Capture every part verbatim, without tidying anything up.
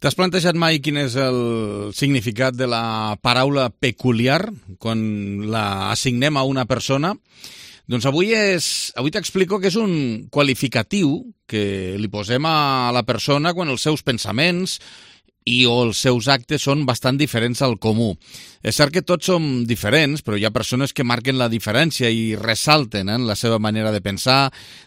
T'has plantejat mai quin és el significat de la paraula peculiar quan la assignem a una persona? Doncs avui és, avui t'explico que és un qualificatiu que li posem a la persona quan els seus pensaments i o els seus actes són bastant diferents al comú. És cert que tots som diferents, però hi ha persones que marquen la diferència i ressalten eh, la seva manera de pensar,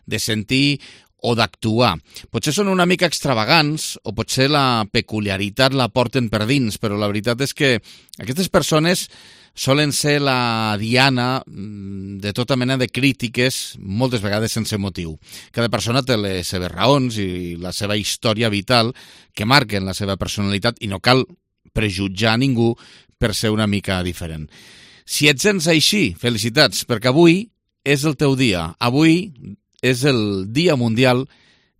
de sentir o d'actuar. Potser són una mica extravagants o potser la peculiaritat la porten per dins, però la veritat és que aquestes persones solen ser la diana de tota mena de crítiques, moltes vegades sense motiu. Cada persona té les seves raons i la seva història vital que marquen la seva personalitat i no cal prejutjar a ningú per ser una mica diferent. Si et sents així, felicitats, perquè avui és el teu dia. Avui és el Dia Mundial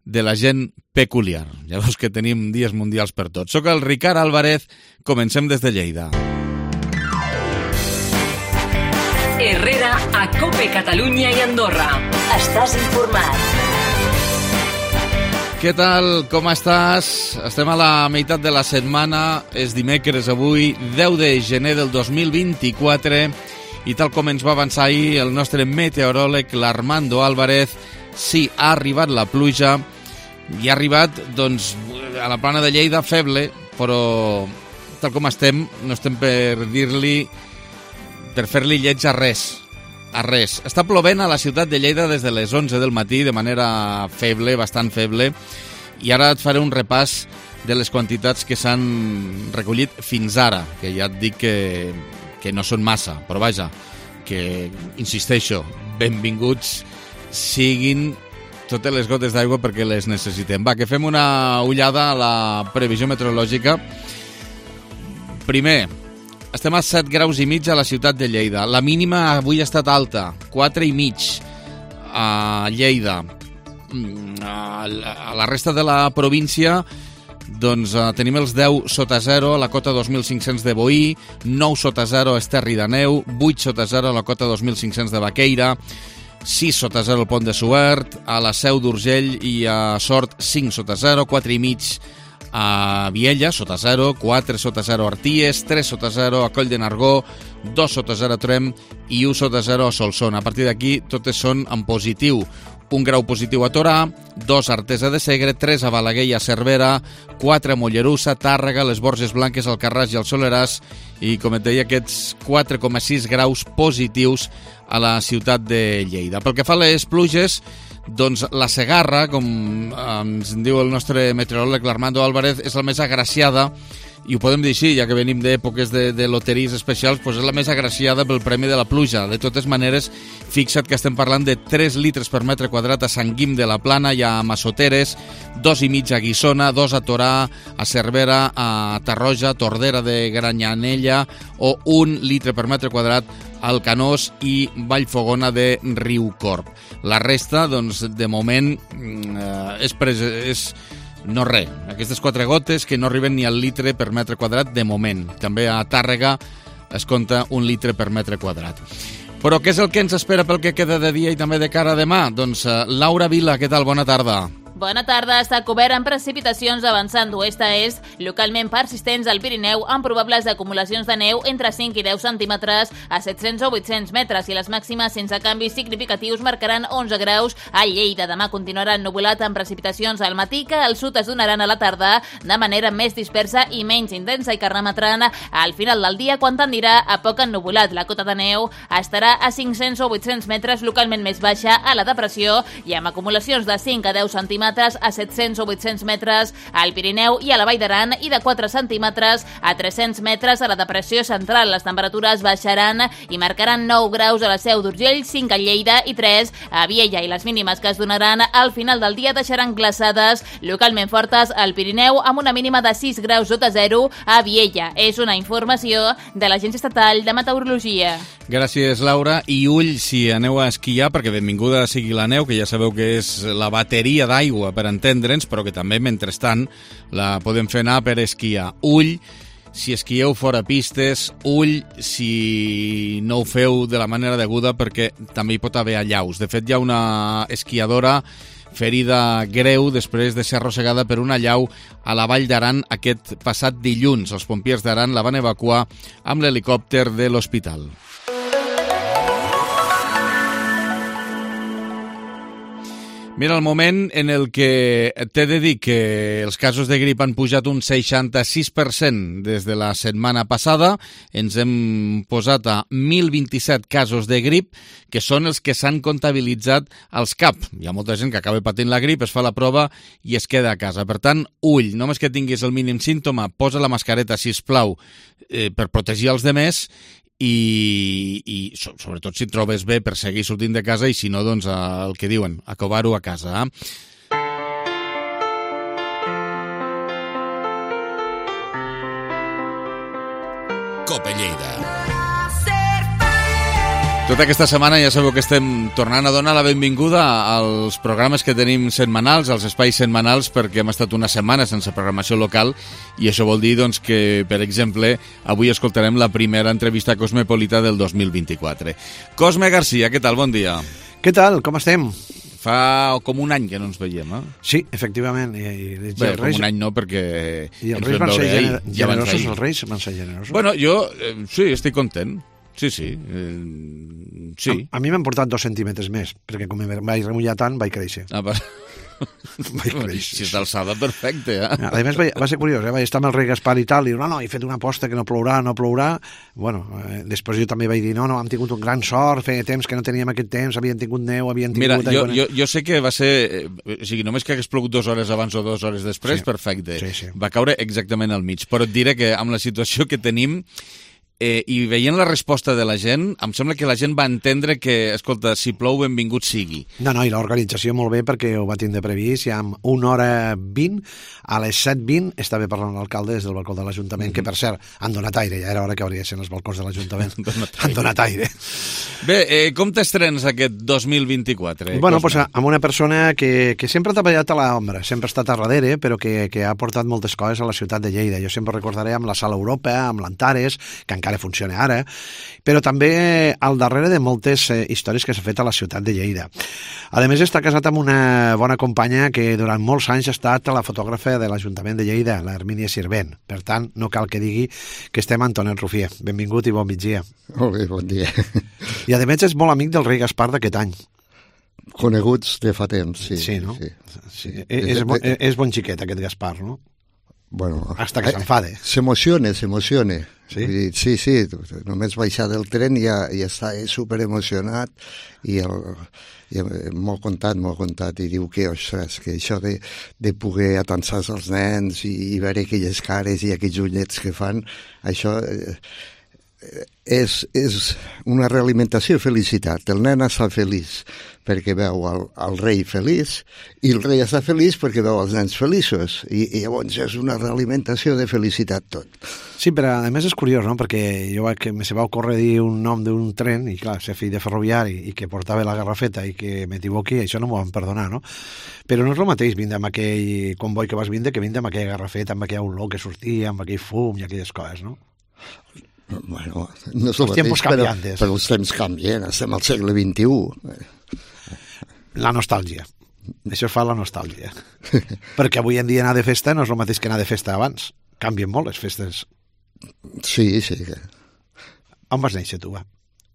de la Gent Peculiar. Ja veus que tenim dies mundials per tots. Soc el Ricard Álvarez, comencem des de Lleida. Herrera a COPE Catalunya i Andorra. Estàs informat. Què tal? Com estàs? Estem a la meitat de la setmana, és dimecres avui, deu de gener del dos mil vint-i-quatre, i tal com ens va avançar ahir el nostre meteoròleg, l'Armando Álvarez, sí, ha arribat la pluja, i ha arribat, doncs, a la plana de Lleida feble, però tal com estem, no estem per dir-li, per fer-li lleig a res, a res. Està plovent a la ciutat de Lleida des de les onze del matí, de manera feble, bastant feble, i ara et faré un repàs de les quantitats que s'han recollit fins ara, que ja et dic que... que no són massa, però vaja, que, insisteixo, benvinguts siguin totes les gotes d'aigua perquè les necessitem. Va, que fem una ullada a la previsió meteorològica. Primer, estem a set graus i mig a la ciutat de Lleida. La mínima avui ha estat alta, quatre i mig a Lleida. A la resta de la província, doncs uh, tenim els deu sota zero a la cota dos mil cinc-cents de Boí, nou sota zero a Esterri d'Àneu, vuit sota zero a la cota dos mil cinc-cents de Baqueira, sis sota zero al Pont de Suert, a la Seu d'Urgell i a Sort cinc sota zero, quatre i mig a Viella, sota zero, quatre sota zero a Arties, tres sota zero a Coll de Nargó, dos sota zero a Trem i u sota zero a Solsona. A partir d'aquí totes són en positiu. Un grau positiu a Torà, dos a Artesa de Segre, tres a Balaguer i a Cervera, quatre a Mollerussa, Tàrrega, les Borges Blanques, Alcarràs i el Soleràs, i com et deia, aquests quatre coma sis graus positius a la ciutat de Lleida. Pel que fa a les pluges, doncs la Segarra, com ens diu el nostre meteoròleg l'Armando Álvarez, és la més agraciada, i ho podem dir així, ja que venim d'èpoques de, de loteries especials, doncs és la més agraciada pel premi de la pluja. De totes maneres, fixa't que estem parlant de tres litres per metre quadrat a Sant Guim de la Plana i a Massoteres, dos i mig a Guissona, dos a Torà, a Cervera, a Tarroja, Tordera de Granyanella, o un litre per metre quadrat al Canós i Vallfogona de Riucorb. La resta, doncs, de moment, eh, és... Pres és no res, aquestes quatre gotes que no arriben ni al litre per metre quadrat de moment. També a Tàrrega es compta un litre per metre quadrat. Però què és el que ens espera pel que queda de dia i també de cara a demà? Doncs uh, Laura Vila, què tal? Bona tarda. Bona tarda. Està cobert amb precipitacions avançant d'oest a est, localment persistents al Pirineu, amb probables acumulacions de neu entre cinc i deu centímetres a set-cents o vuit-cents metres, i les màximes sense canvis significatius marcaran onze graus a Lleida. Demà continuarà ennuvolat amb precipitacions al matí que al sud es donaran a la tarda de manera més dispersa i menys intensa, i que remetran al final del dia quan tendirà a poc ennuvolat. La cota de neu estarà a cinc-cents o vuit-cents metres, localment més baixa a la depressió, i amb acumulacions de cinc a deu centímetres a set-cents o vuit-cents metres al Pirineu i a la Vall d'Aran, i de quatre centímetres a tres-cents metres a la depressió central. Les temperatures baixaran i marcaran nou graus a la Seu d'Urgell, cinc a Lleida i tres a Viella, i les mínimes que es donaran al final del dia deixaran glaçades localment fortes al Pirineu, amb una mínima de sis graus sota zero a Viella. És una informació de l'Agència Estatal de Meteorologia. Gràcies, Laura. I ull si aneu a esquiar, perquè benvinguda sigui la neu, que ja sabeu que és la bateria d'aigua per entendre'ns, però que també, mentrestant, la podem fer anar per esquiar. Ull si esquieu fora pistes, ull si no ho feu de la manera deguda, perquè també hi pot haver allaus. De fet, hi ha una esquiadora ferida greu després de ser arrossegada per una llau a la Vall d'Aran aquest passat dilluns. Els pompiers d'Aran la van evacuar amb l'helicòpter de l'hospital. Mira, el moment en el que t'he de dir que els casos de grip han pujat un seixanta-sis per cent des de la setmana passada. Ens hem posat a mil vint-i-set casos de grip, que són els que s'han comptabilitzat als C A P. Hi ha molta gent que acaba patint la grip, es fa la prova i es queda a casa. Per tant, ull, només que tinguis el mínim símptoma, posa la mascareta, sisplau, eh, per protegir els demés, i, i sobretot si et trobes bé per seguir sortint de casa, i si no, doncs el que diuen, acobar-ho a casa. Cope Lleida. Tota aquesta setmana ja sabeu que estem tornant a donar la benvinguda als programes que tenim setmanals, als espais setmanals, perquè hem estat una setmana sense programació local, i això vol dir doncs, que, per exemple, avui escoltarem la primera entrevista cosmopolita del dos mil vint-i-quatre. Cosme Garcia, què tal? Bon dia. Què tal? Com estem? Fa com un any que no ens veiem, eh? Sí, efectivament. I, i, i Bé, com un any no, perquè... I els reis van ser gener generosos, els reis van ser generosos. Bueno, jo eh, sí, estic content. Sí, sí. Eh, sí. A, a mi m'han portat dos centímetres més, perquè com em vaig remullar tant, vaig créixer. Ah, va... vaig créixer. Si és d'alçada, perfecte, eh? A més, va, va ser curiós, eh? Vaig estar amb el rei Gaspar i tal, i no, no, he fet una aposta que no plourà, no plourà. Bueno, eh, després jo també vaig dir, no, no, hem tingut un gran sort, feia temps que no teníem aquest temps, havien tingut neu, havien tingut... Mira, jo, jo, jo sé que va ser... Eh, o sigui, només que hagués plogut dues hores abans o dues hores després, sí. Perfecte. Sí, sí. Va caure exactament al mig. Però et diré que amb la situació que tenim... Eh, i veient la resposta de la gent, em sembla que la gent va entendre que, escolta, si plou, benvingut sigui. No, no, i l'organització molt bé, perquè ho va tindre previst, ja amb una hora vint, a les set vint estava parlant l'alcalde des del balcó de l'Ajuntament, mm-hmm. que per cert, han donat aire, ja era hora que hauria de ser els balcons de l'Ajuntament. Han donat aire. Bé, eh, com t'estrenes aquest dos mil vint-i-quatre? Bueno, pues, amb una persona que, que sempre ha treballat a l'ombra, sempre ha estat a darrere, però que, que ha portat moltes coses a la ciutat de Lleida. Jo sempre recordaré amb la Sala Europa, amb l'Antares, que encara funciona ara, però també al darrere de moltes eh, històries que s'ha fet a la ciutat de Lleida. A més, està casat amb una bona companya que durant molts anys ha estat la fotògrafa de l'Ajuntament de Lleida, la Hermínia Sirvent. Per tant, no cal que digui que estem amb Antonet Rufier. Benvingut i bon migdia. Molt bé, bon dia. I a més és molt amic del rei Gaspar d'aquest any. Coneguts de fa temps, sí. Sí, no? Sí. Sí. És, és, és bon xiquet aquest Gaspar, no? Bueno, hasta que s'enfade. S'emociona, s'emociona. Sí? Sí, sí, només baixar del tren i ja, ja està superemocionat i, el, i molt content, molt content, i diu que, ostres, que això de, de poder atansar els nens i, i veure aquelles cares i aquells ullets que fan, això eh, és, és una realimentació de felicitat. El nen està feliç perquè veu el, el rei feliç i el rei està feliç perquè veu els nens feliços i, i llavors és una realimentació de felicitat tot. Sí, però a més és curiós, no? Perquè jo que me se va ocórrer dir un nom d'un tren i clar, ser fill de ferroviari i que portava la garrafeta i que m'equivoqui, això no m'ho van perdonar, no? Però no és el mateix vindre amb aquell comboi que vas vindre que vindre amb aquella garrafeta, amb aquella olor que sortia, amb aquell fum i aquelles coses, no? Bueno, no és el mateix, però, però els temps canvien, estem al segle vint-i-u. La nostàlgia. Això fa la nostàlgia. Perquè avui en dia anar de festa no és el mateix que anar de festa abans. Canvien molt les festes. Sí, sí. On vas néixer, tu, va?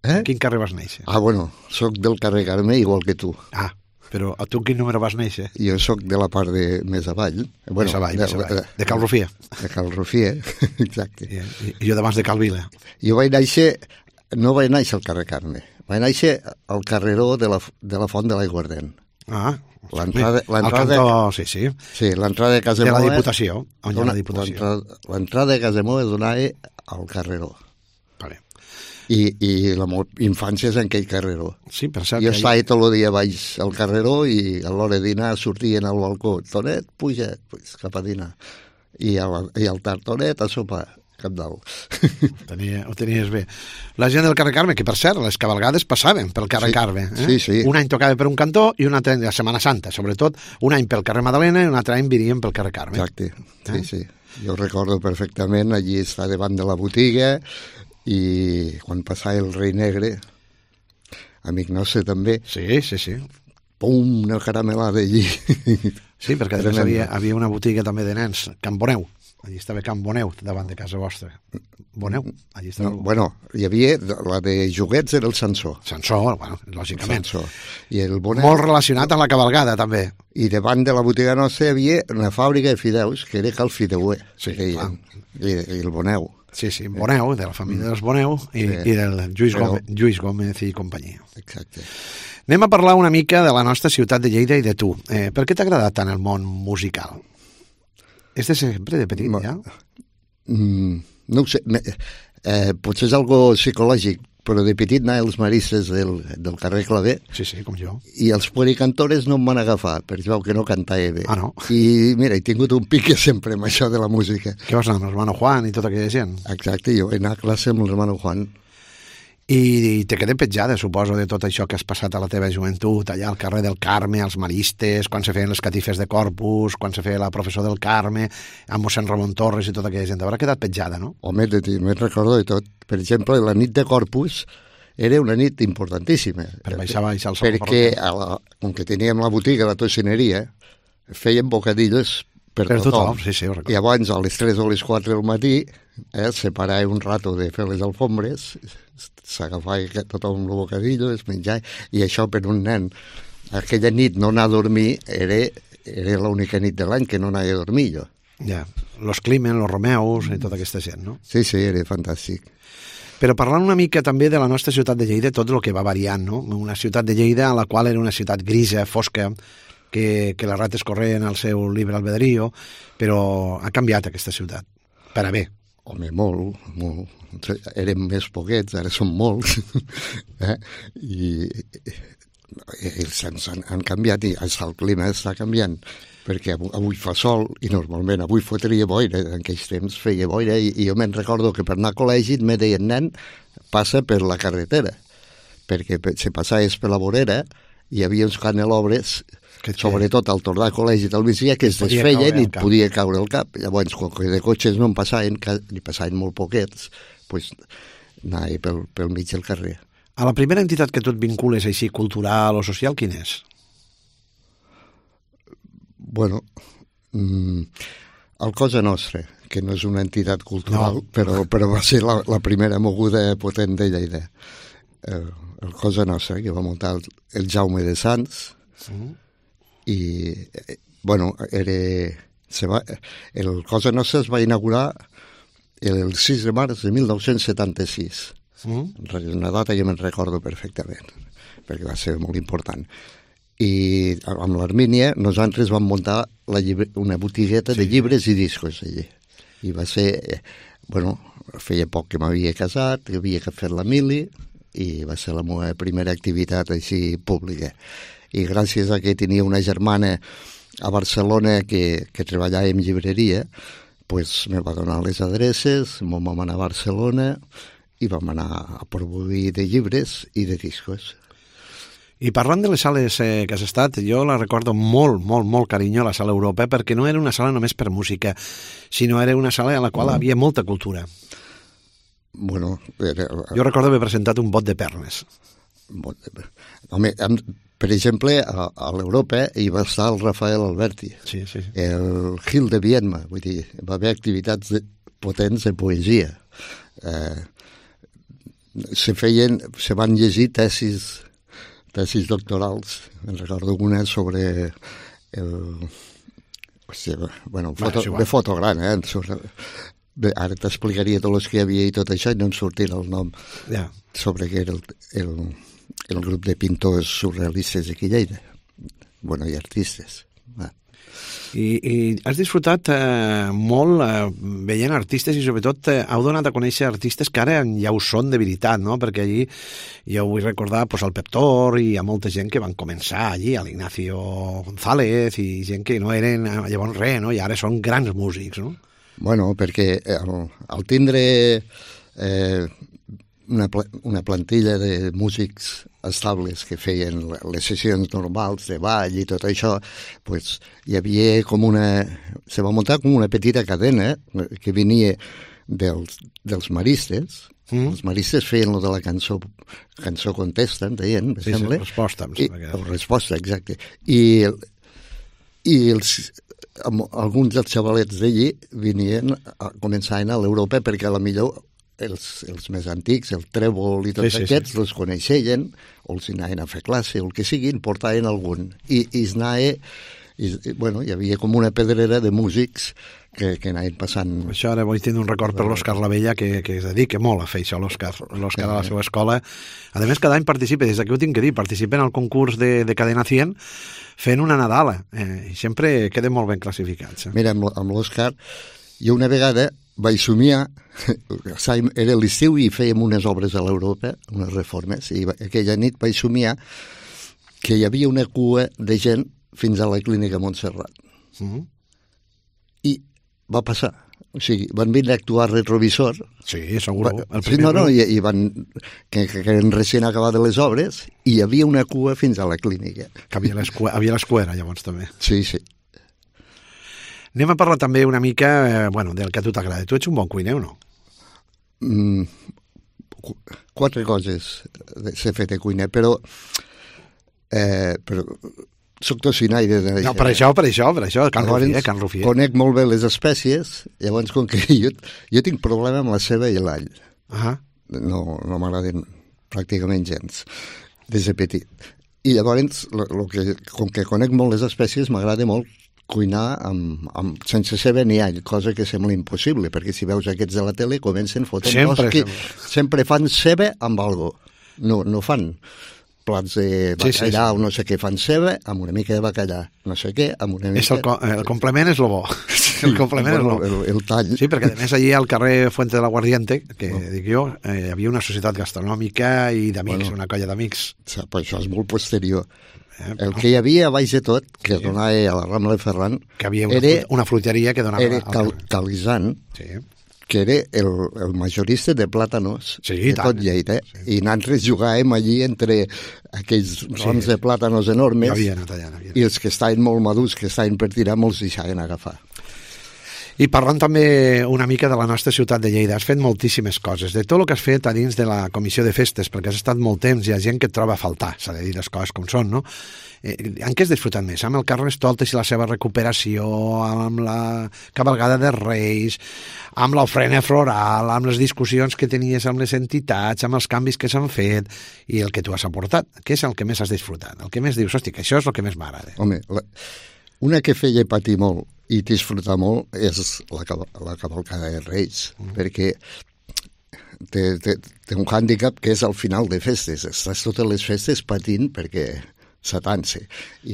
Eh? En quin carrer vas néixer? Ah, bueno, soc del carrer Carme igual que tu. Ah, però a tu en quin número vas néixer? Jo soc de la part de més avall. Bueno, més avall, de, més avall. De Cal Rufier. De Cal Rufier, exacte. I, i, i jo d'abans de Cal Vila. Jo vaig néixer, no vaig néixer al carrer Carme, vaig néixer al carreró de la, de la Font de l'Aiguardent. Ah, l'entrada, l'entrada, al cantó, sí, sí. Sí, l'entrada de Casa de la Moa, Diputació. On hi ha la Diputació. L'entrada de Casa Moa donava al carreró. Vale. I, i la meva infància és en aquell carreró. Sí, per cert. Jo estava tot el dia baix al carreró i a l'hora de dinar sortien al balcó. Tonet, puja, pues, cap a dinar. I, a, i al tard, Tonet, a sopar. Cap dalt. Tenia, ho tenies bé. La gent del carrer Carme, que per cert, les cabalgades passaven pel carrer sí, Carme. Eh? Sí, sí. Un any tocava per un cantó i un altre any de la Setmana Santa, sobretot. Un any pel carrer Madalena i un altre any virien pel carrer Carme. Exacte, sí, eh? sí. Jo recordo perfectament, allí està davant de la botiga i quan passava el rei negre, amic nostre també, sí, sí, sí. pum, una caramelada allí. Sí, perquè després havia, havia una botiga també de nens, Can Boneu. Allí estava Can Boneu, davant de casa vostra. Boneu, allí estava... No, bueno, hi havia, la de joguets era el Sansó. Sansó, bueno, lògicament. Sansó. I el Boneu... Molt relacionat amb la cabalgada, també. I davant de la botiga nostra hi havia una fàbrica de fideus, que era Cal Fideuer. Sí, I, i, I el Boneu. Sí, sí, Boneu, de la família dels Boneu, i, sí. i del Lluís, Però... Gómez, Lluís Gómez i companyia. Exacte. Anem a parlar una mica de la nostra ciutat de Lleida i de tu. Eh, per què t'ha agradat tant el món musical? És de sempre, de petit, ja? Mm, no ho sé. Eh, potser és algo psicològic, però de petit anava als maristes del, del carrer Clavé. Sí, sí, com jo. I els puericantores no em van agafar, perquè veu que no cantava bé. Ah, no? I mira, he tingut un pique sempre amb això de la música. Què vas anar amb l'hermano Juan i tota aquella gent? Exacte, jo vaig anar a classe amb l'hermano Juan. I, i te quedé petjada, suposo, de tot això que has passat a la teva joventut, allà al carrer del Carme, als maristes, quan se feien les catifes de Corpus, quan se feia la professor del Carme, amb mossèn Ramon Torres i tota aquella gent. Haurà quedat petjada, no? Home, me'n recordo de tot. Per exemple, la nit de Corpus era una nit importantíssima. Per baixar, baixar el sol. Perquè, a la, com que teníem la botiga, la tocineria, feien bocadillos per, per tothom. tothom. Sí, sí, ho recordo. I abans, a les tres o les quatre del matí, eh, separava un rato de fer les alfombres, s'agafava tothom el bocadillo, es menjava, i això per un nen, aquella nit no anar a dormir era, era l'única nit de l'any que no anava a dormir jo. Ja, los Climen, los Romeus i tota aquesta gent, no? Sí, sí, era fantàstic. Però parlant una mica també de la nostra ciutat de Lleida, tot el que va variant, no? Una ciutat de Lleida a la qual era una ciutat grisa, fosca, que, que les rates corrien al seu libre albedrío, però ha canviat aquesta ciutat, per a bé. Home, molt, molt. Érem més poquets, ara som molts. eh? I, i ells han, han canviat i el clima està canviant, perquè avui, avui fa sol i normalment avui fotria boira, en aquells temps feia boira i, i jo me'n recordo que per anar a col·legi me deien, nen, passa per la carretera, perquè se passaves per la vorera i hi havia uns canelobres, que, sobretot al tornar al col·legi del migdia, que es desfeien i et podia caure el cap. Llavors, quan de cotxes no en passaven, ni passaven molt poquets, doncs anava pel, pel mig del carrer. A la primera entitat que tu et vincules així, cultural o social, quin és? Bueno, mm, el Cosa Nostra, que no és una entitat cultural, no. però, però va ser la, la primera moguda potent de Lleida. El, el Cosa Nostra, que va muntar el, el Jaume de Sants, mm. i, bueno, era... Se va, el Cosa Nostra es va inaugurar el sis de març de mil nou-cents setanta-sis. Mm. Una data que me'n recordo perfectament, perquè va ser molt important. I amb l'Armínia nosaltres vam muntar la llibre, una botigueta sí. de llibres i discos allí. I va ser, bueno, feia poc que m'havia casat, havia que fer la mili, i va ser la meva primera activitat així pública. I gràcies a que tenia una germana a Barcelona que, que treballava en llibreria, pues me va donar les adreces, vam anar a Barcelona i vam anar a produir de llibres i de discos. I parlant de les sales eh, que has estat, jo la recordo molt, molt, molt carinyo, la sala Europa, perquè no era una sala només per música, sinó era una sala a la qual mm. havia molta cultura. Bueno, era... Jo recordo haver presentat un bot de pernes. Home, per exemple, a, a l'Europa hi va estar el Rafael Alberti, sí, sí. el Gil de Viedma, vull dir, va haver activitats de, potents de poesia. Eh, se feien, se van llegir tesis, tesis doctorals. Me'n recordo una sobre el... Hòstia, bueno, foto, de foto gran, eh? Sobre, bé, ara t'explicaria tot el que hi havia i tot això i no em sortirà el nom ja. sobre què era el, el, el grup de pintors surrealistes aquí a Lleida. Bueno, i artistes. Va. I, i has disfrutat eh, molt eh, veient artistes i sobretot eh, heu donat a conèixer artistes que ara ja ho són de veritat, no? Perquè allí jo vull recordar pues, el Pep Tor i hi ha molta gent que van començar allí, a l'Ignacio González i gent que no eren llavors res, no? I ara són grans músics, no? Bueno, perquè al, al tindre eh, una, una plantilla de músics estables que feien les sessions normals de ball i tot això, pues, hi havia com una... Se va muntar com una petita cadena que venia dels, dels maristes, Mm. Els maristes feien lo de la cançó, cançó contesta, en deien, me sí, sembla. Sí, resposta, em sembla que era. Resposta, exacte. I, i els, alguns dels xavalets d'allí venien, a, començaven a l'Europa perquè a la millor els, els més antics, el trèvol i tots sí, sí, aquests, sí. els coneixien, o els anaven a fer classe, o el que siguin, portaven algun. I, i es anava, i, bueno, hi havia com una pedrera de músics que, que anaven passant. Això ara vull tenir un record per l'Òscar Lavella, que, que es dedica molt a fer això, l'Òscar l'Òscar a la seva escola. A més, cada any participa, des d'aquí ho tinc que dir, participa en el concurs de, de Cadena cent, fent una Nadala, eh, i sempre queden molt ben classificats. Eh? Mira, amb, amb l'Òscar, jo una vegada vaig somiar, era l'estiu i fèiem unes obres a l'Europa, unes reformes, i aquella nit vaig somiar que hi havia una cua de gent fins a la clínica Montserrat. Mm-hmm. I va passar. O sigui, van venir a actuar retrovisor. Sí, segur. Va, sí, no, no, i, i van... Que, que, que eren recient acabades les obres i hi havia una cua fins a la clínica. Que havia l'escuera, llavors, també. Sí, sí. Anem a parlar també una mica, eh, bueno, del que a tu t'agrada. Tu ets un bon cuiner o no? Mm, quatre coses s'he fet de cuiner, però... Eh, però soc tocinaire. De... No, per això, per això, per això, Can Rufier, Can Rufier. Conec molt bé les espècies, llavors com que jo, jo tinc problema amb la ceba i l'all. Uh-huh. No, no m'agraden pràcticament gens, des de petit. I llavors, lo, lo que, com que conec molt les espècies, m'agrada molt cuinar amb, amb, sense ceba ni all, cosa que sembla impossible, perquè si veus aquests de la tele comencen fotent sempre, que sempre fan ceba amb algo. No, no fan plats de bacallà, sí, sí, sí. o no sé què, fan ceba amb una mica de bacallà, no sé què, amb una mica... És el, co el complement és lo bo. Sí, el complement bueno, és lo el, el tall. Sí, perquè a més allí al carrer Fuente de la Guardiente, que oh. dic jo, eh, hi havia una societat gastronòmica i d'amics, bueno, una colla d'amics. Però això és molt posterior. Eh, el que hi havia a baix de tot, que sí. donava a la Rambla de Ferran... Que havia una, era, una fruteria que donava... Era cal, Calisan, sí. que era el, el majorista de plàtanos sí, de tant. tot Lleida, sí. i nosaltres jugàvem allí entre aquells rams sí. de plàtanos enormes havia anat allà, havia anat. I els que estaven molt madurs, que estaven per tirar, molts deixaven agafar. I parlant també una mica de la nostra ciutat de Lleida, has fet moltíssimes coses, de tot el que has fet a dins de la comissió de festes, perquè has estat molt temps, hi ha gent que et troba a faltar, s'ha de dir les coses com són, no? Eh, en què has disfrutat més? Amb el Carnestoltes i la seva recuperació, amb la cabalgada de Reis, amb l'ofrena floral, amb les discussions que tenies amb les entitats, amb els canvis que s'han fet i el que tu has aportat? Què és el que més has disfrutat? El que més dius, hosti, que això és el que més m'agrada. Home, la, una que feia patir molt i disfrutar molt és la, la cavalcada de Reis, mm. perquè té, té, té un hàndicap que és al final de festes. Estàs totes les festes patint perquè s'atanse.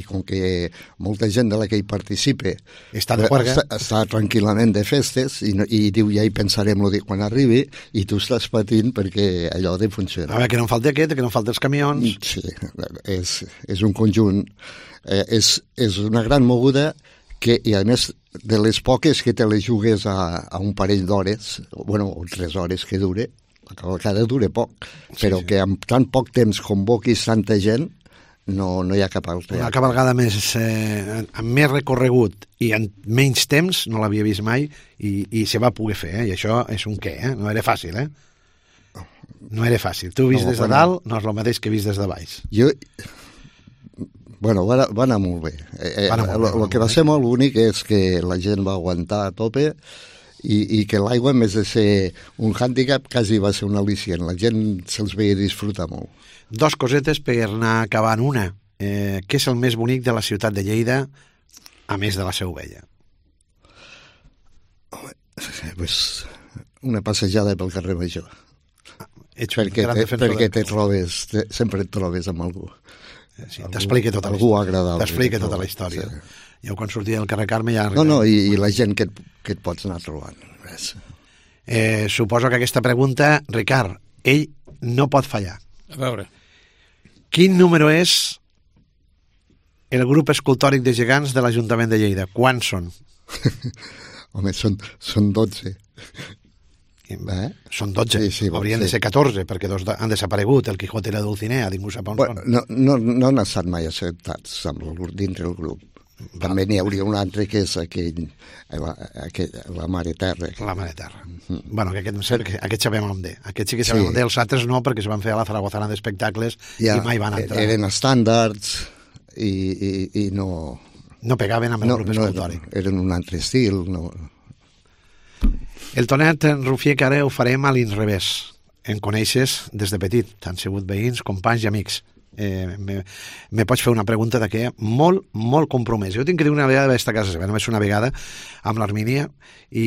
I com que molta gent de la que hi participa està, de està, està tranquil·lament de festes i, no, i diu ja hi pensarem lo de quan arribi i tu estàs patint perquè allò ha de funcionar. A veure, que no en falti aquest, que no en falti els camions. Sí, és, és un conjunt, eh, és, és una gran moguda que, i a més de les poques que te les jugues a, a un parell d'hores, bueno, o tres hores que dure, la cavalcada dura poc, sí, però sí. que amb tan poc temps convoquis tanta gent no, no hi ha cap altre. Una cabalgada més, eh, amb més recorregut i en menys temps, no l'havia vist mai, i, i se va poder fer, eh? I això és un què, eh? No era fàcil, eh? No era fàcil. Tu vist no, des de bueno, dalt no és el mateix que vist des de baix. Jo... Bueno, va, va anar molt bé. Eh, va anar molt bé. El que va ser molt bonic és que la gent va aguantar a tope i, i que l'aigua, en vez de ser un hàndicap, quasi va ser un al·licient. La gent se'ls veia disfrutar molt. Dos cosetes per anar acabant. Una, eh, què és el més bonic de la ciutat de Lleida, a més de la Seu Vella? Home, pues, una passejada pel carrer Major. Ah, ets perquè te, perquè te trobes, te, sempre et trobes amb algú. Sí, t'explica tota, t'explica tota la història. Sí. Jo quan sortia del carrer Carme ja... No, no, i, i la gent que et, que et pots anar trobant. Eh, suposo que aquesta pregunta, Ricard, ell no pot fallar. A veure. Quin número és el grup escultòric de gegants de l'Ajuntament de Lleida? Quants són? Home, són, són dotze. Eh? Són dotze, sí, sí, haurien sí. de ser catorze, perquè dos han desaparegut, el Quijote i la Dulcinea, ningú sap on bueno, són. No, no, no han estat mai acceptats amb el, dintre del grup. També n'hi hauria un altre que és aquell, la, aquell, la Mare Terra. La Mare Terra. Mm. Bueno, que aquest, no sé, que aquest sabem on de. Aquest sí que sabem sí. on de, els altres no, perquè es van fer a la Zaragozana d'espectacles ja, i mai van entrar. Eren estàndards i, i, i no... No pegaven amb el no, grup escultòric. No, eren un altre estil. No. El Tonet Rufier, que ara ho farem a l'inrevés. En coneixes des de petit. Han sigut veïns, companys i amics. Eh, me, me pots fer una pregunta de què molt, molt compromès. Jo tinc que dir una vegada d'esta casa seva, només una vegada amb l'Armínia, i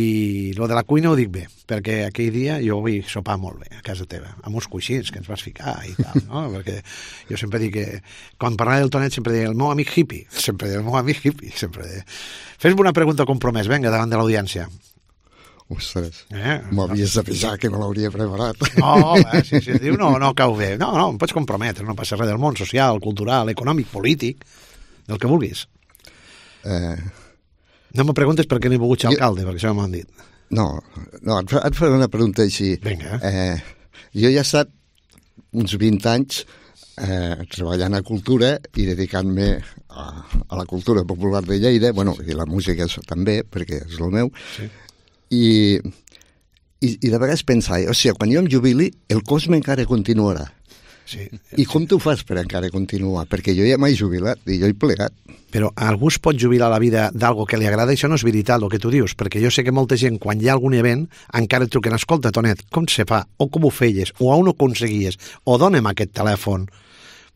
lo de la cuina ho dic bé, perquè aquell dia jo vull sopar molt bé a casa teva, amb uns coixins que ens vas ficar i tal, no? Perquè jo sempre dic que quan parlava del Tonet sempre deia el meu amic hippie, sempre deia el meu amic hippie, sempre deia. Fes-me una pregunta compromès, vinga, davant de l'audiència. Ostres, eh, m'havies de pensar que no l'hauria preparat. No, va, si, si diu no, no cau bé. No, no, em pots comprometre, no passa res del món social, cultural, econòmic, polític, del que vulguis. Eh... No me preguntes per què no he volgut ser alcalde, jo... perquè això m'han dit. No, no, et, et faré una pregunta així. Vinga. Eh, jo ja he estat uns vint anys eh, treballant a cultura i dedicant-me a, a la cultura popular de Lleida, bueno, i la música també, perquè és el meu, sí. I, i, i de vegades pensar, o sigui, quan jo em jubili, el Cosme encara continuarà. Sí. I com tu fas per encara continuar? Perquè jo ja m'he jubilat i jo he plegat. Però algú es pot jubilar la vida d'algo que li agrada, això no és veritat, el que tu dius, perquè jo sé que molta gent, quan hi ha algun event, encara et truquen, escolta, Tonet, com se fa? O com ho feies? O on ho aconseguies? O dona'm aquest telèfon.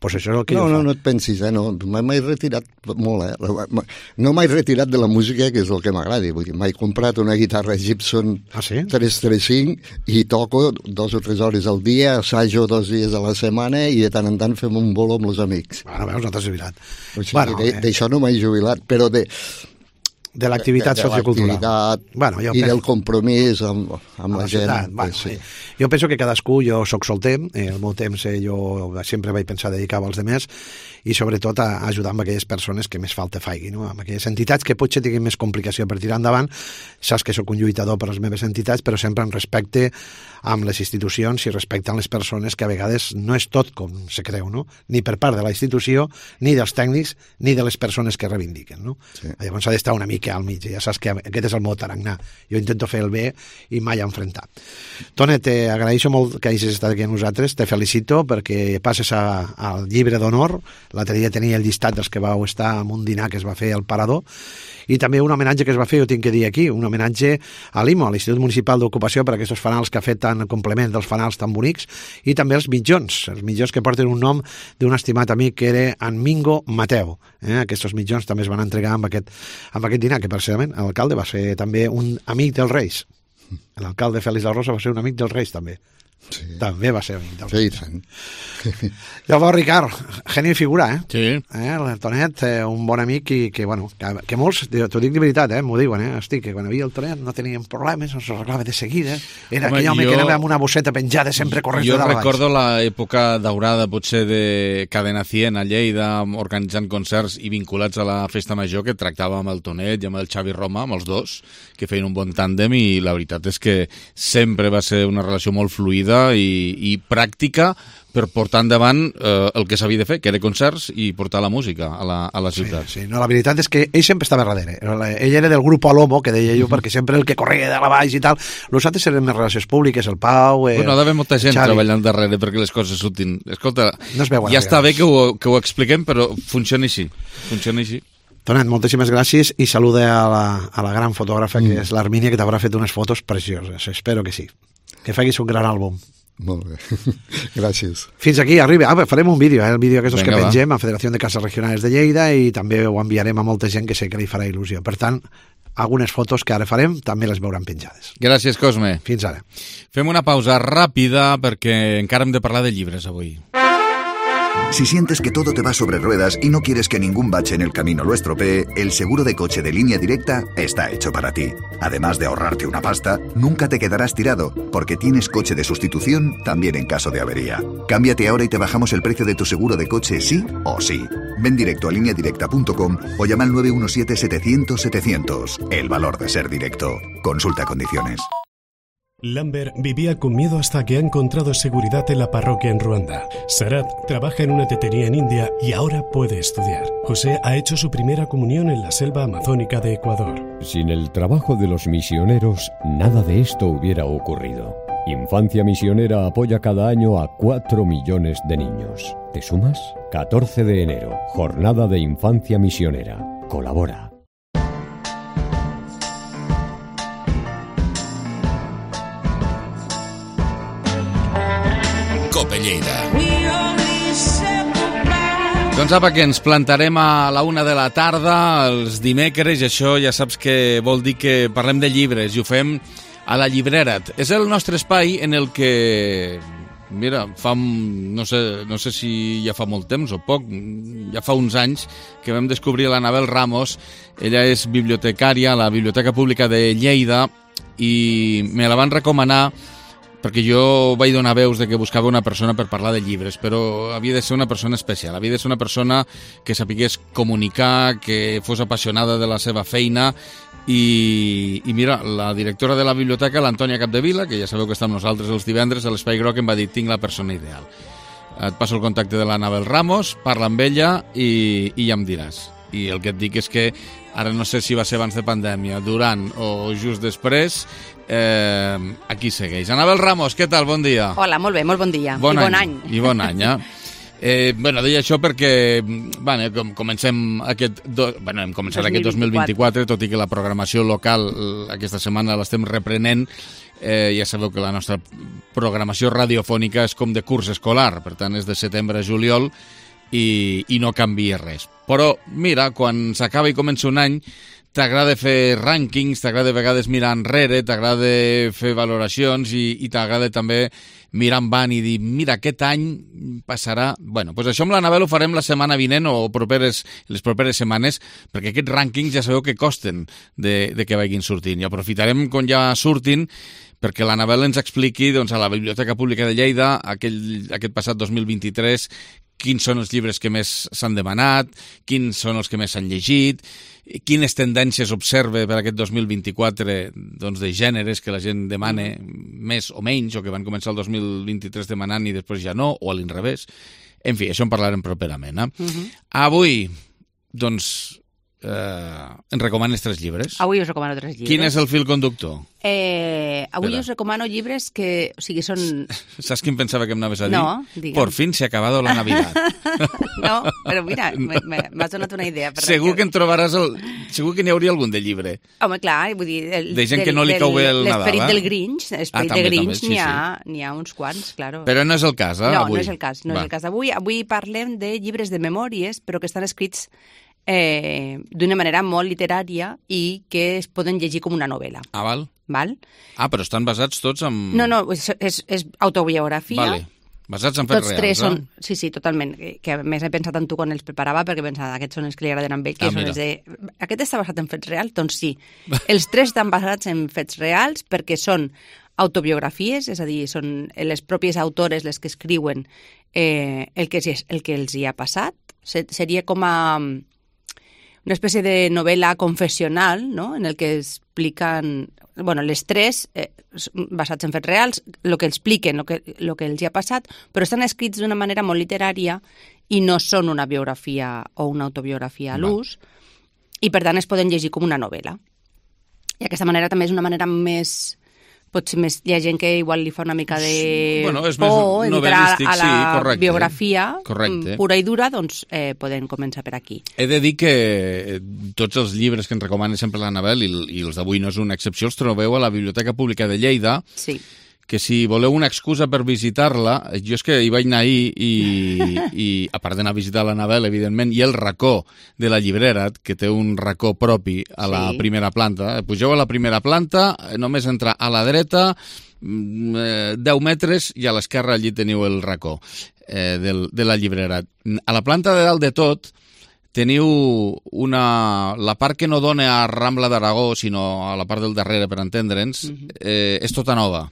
Pues això és el que no, jo no, fa. no et pensis, eh? No, m'he retirat molt, eh? No m'he retirat de la música, que és el que m'agrada. M'he comprat una guitarra Gibson ah, sí? tres trenta cinc i toco dos o tres hores al dia, assajo dos dies a la setmana i de tant en tant fem un bolo amb els amics. Bueno, veus, no t'has jubilat. O sigui, bueno, d'això eh... no m'he jubilat, però de... de l'activitat sociocultural. Bueno, i penso... del compromís amb, amb la, la gent. Bueno, sí. Jo penso que cadascú, jo sóc solter, eh, el meu temps eh, jo sempre vaig pensar dedicar-ho als demés i sobretot a ajudar amb aquelles persones que més falta faigui, no? Amb aquelles entitats que potser tinguin més complicació per tirar endavant. Saps que sóc un lluitador per les meves entitats, però sempre en respecte amb les institucions i respecte a les persones, que a vegades no és tot com se creu, no? Ni per part de la institució, ni dels tècnics, ni de les persones que reivindiquen, no? Sí. Llavors s'ha d'estar una mica al mig, ja saps que aquest és el meu tarannà. Jo intento fer el bé i mai enfrontar. Tonet, t'agraeixo molt que hagis estat aquí amb nosaltres, te felicito perquè passes a, al llibre d'honor. L'altre dia tenia el llistat dels que vau estar en un dinar que es va fer al Parador, i també un homenatge que es va fer, jo tinc que dir aquí, un homenatge a l'I M O, a l'Institut Municipal d'Ocupació, per aquests fanals que ha fet tan complement dels fanals tan bonics, i també els mitjons, els mitjons que porten un nom d'un estimat amic que era en Mingo Mateu. Eh? Aquests mitjons també es van entregar amb aquest, amb aquest dinar, que precisament l'alcalde va ser també un amic dels Reis. L'alcalde Félix de Rosa va ser un amic dels Reis, també. Sí. També va ser amic dels Reis. Sí, llavors, Ricard, geni figura, eh? Sí. Eh? El Tonet, eh, un bon amic i que, bueno, que, que molts, t'ho dic de veritat, eh? M'ho diuen, eh? Estic, que quan havia el Tonet no teníem problemes, ens arreglava de seguida. Era home, aquell home jo, que anava amb una bosseta penjada sempre corrent jo de dalt. Jo recordo l'època daurada, potser, de Cadena cent a Lleida, organitzant concerts i vinculats a la Festa Major, que tractava amb el Tonet i amb el Xavi Roma, amb els dos, que feien un bon tàndem, i la veritat és que sempre va ser una relació molt fluida i, i pràctica per portar endavant eh, el que s'havia de fer, que era concerts i portar la música a la, a la ciutat. Sí, sí, no, la veritat és que ell sempre estava darrere. Ell era del grup Alomo, que deia jo, perquè sempre el que corria de la baix i tal. Los altres eren més relacions públiques, el Pau... Eh, bueno, ha d'haver molta gent treballant darrere perquè les coses surtin. Escolta, no ja està bé que ho, que ho expliquem, però funciona així. Funciona així. Tonet, moltíssimes gràcies i saluda a la, a la gran fotògrafa mm. que és l'Armínia, que t'haurà fet unes fotos precioses. Espero que sí. Que facis un gran àlbum. Molt bé, gràcies. Fins aquí, arriba. Ah, farem un vídeo, eh? El vídeo aquests que va. pengem a Federació de Cases Regionals de Lleida, i també ho enviarem a molta gent que sé que li farà il·lusió. Per tant, algunes fotos que ara farem també les veuran penjades. Gràcies, Cosme. Fins ara. Fem una pausa ràpida perquè encara hem de parlar de llibres avui. Si sientes que todo te va sobre ruedas y no quieres que ningún bache en el camino lo estropee, el seguro de coche de Línea Directa está hecho para ti. Además de ahorrarte una pasta, nunca te quedarás tirado, porque tienes coche de sustitución también en caso de avería. Cámbiate ahora y te bajamos el precio de tu seguro de coche sí o sí. Ven directo a línea directa punto com o llama al nueve uno siete, setecientos, setecientos. El valor de ser directo. Consulta condiciones. Lambert vivía con miedo hasta que ha encontrado seguridad en la parroquia en Ruanda. Sarat trabaja en una tetería en India y ahora puede estudiar. José ha hecho su primera comunión en la selva amazónica de Ecuador. Sin el trabajo de los misioneros, nada de esto hubiera ocurrido. Infancia Misionera apoya cada año a cuatro millones de niños. ¿Te sumas? catorce de enero, Jornada de Infancia Misionera. Colabora. Cope Lleida. Doncs apa, que ens plantarem a la una de la tarda els dimecres, i això ja saps que vol dir que parlem de llibres i ho fem a la Llibrera. És el nostre espai en el que, mira, fa, no sé, no sé si ja fa molt temps o poc, ja fa uns anys que vam descobrir l'Anabel Ramos. Ella és bibliotecària a la Biblioteca Pública de Lleida i me la van recomanar perquè jo vaig donar veus de que buscava una persona per parlar de llibres, però havia de ser una persona especial, havia de ser una persona que sapigués comunicar, que fos apassionada de la seva feina, i, i mira, la directora de la biblioteca, l'Antònia Capdevila, que ja sabeu que està amb nosaltres els divendres a l'Espai Groc, em va dir, tinc la persona ideal. Et passo el contacte de l'Anabel Ramos, parla amb ella i, i ja em diràs. I el que et dic és que ara no sé si va ser abans de pandèmia, durant o just després, eh, aquí segueix. Anabel Ramos, què tal? Bon dia. Hola, molt bé, molt bon dia. Bon I any, bon any. I bon any, eh? eh bueno, deia això perquè bueno, com comencem aquest do, bueno, hem començat dos mil vint-i-quatre. Aquest dos mil vint-i-quatre, tot i que la programació local aquesta setmana l'estem reprenent. Eh, ja sabeu que la nostra programació radiofònica és com de curs escolar, per tant és de setembre a juliol, i, i no canvia res. Però mira, quan s'acaba i comença un any, t'agrada fer rànquings, t'agrada a vegades mirar enrere, t'agrada fer valoracions i, i t'agrada també mirar endavant i dir, mira, aquest any passarà... Bueno, doncs això amb l'Anabel ho farem la setmana vinent o properes, les properes setmanes, perquè aquests rànquings ja sabeu que costen de, de que vagin sortint. I aprofitarem quan ja surtin perquè l'Anabel ens expliqui doncs, a la Biblioteca Pública de Lleida aquell, aquest passat dos mil vint-i-tres quins són els llibres que més s'han demanat, quins són els que més s'han llegit, quines tendències observa per aquest dos mil vint-i-quatre doncs, de gèneres que la gent demana més o menys, o que van començar el dos mil vint-i-tres demanant i després ja no, o a l'inrevés. En fi, això en parlarem properament. Eh? Uh-huh. Avui, doncs, eh, ens recomanes tres llibres. Avui us recomano tres llibres. Quin és el fil conductor? Eh, avui Espera. us recomano llibres que, o sigui, són... Saps quin pensava que em anaves a dir? No, digue'm. Por fin se ha acabado la Navidad. No, però mira, m'has donat una idea. Per segur que en trobaràs... El... Segur que n'hi hauria algun de llibre. Home, clar, vull dir... El, de gent del, que no li cau bé el Nadal. L'esperit eh? del Grinch, l'esperit ah, del Grinch sí, n'hi ha, sí. ha uns quants, claro. Però no és el cas, eh, no, avui? No, no és el cas, no Va. és el cas d'avui. Avui parlem de llibres de memòries, però que estan escrits eh, d'una manera molt literària i que es poden llegir com una novel·la. Ah, val. Val? Ah, però estan basats tots en... No, no, és, és, és autobiografia. Vale. Basats en fets Tots reals, tres són... eh? Sí, sí, totalment. Que, que a més he pensat en tu quan els preparava, perquè pensava, aquests són els que li agraden a ell, que Ah, són mira. els de... Aquest està basat en fets reals? Doncs sí. Els tres estan basats en fets reals perquè són autobiografies, és a dir, són les pròpies autores les que escriuen eh, el, que, el que els hi ha passat. Seria com a una espècie de novel·la confessional, no?, en el que expliquen... Bueno, les tres, eh, basats en fets reals, el que expliquen, el que, el que els hi ha passat, però estan escrits d'una manera molt literària i no són una biografia o una autobiografia a l'ús, i per tant es poden llegir com una novel·la. I aquesta manera també és una manera més... Potser més, hi ha gent que igual li fa una mica de bueno, és por més entrar a la sí, correcte, biografia correcte. pura i dura, doncs eh, podem començar per aquí. He de dir que tots els llibres que ens recomana sempre l'Anabel, i, i els d'avui no és una excepció, els trobeu a la Biblioteca Pública de Lleida, sí. que si voleu una excusa per visitar-la, jo és que hi vaig anar ahir i, i a part d'anar a visitar l'Anabel, evidentment, i el racó de la llibrera, que té un racó propi a la sí. primera planta. Pugeu a la primera planta, només entrar a la dreta, deu metres, i a l'esquerra allí teniu el racó eh, del, de la llibrera. A la planta de dalt de tot teniu una... La part que no dona a Rambla d'Aragó, sinó a la part del darrere, per entendre'ns, eh, és tota nova.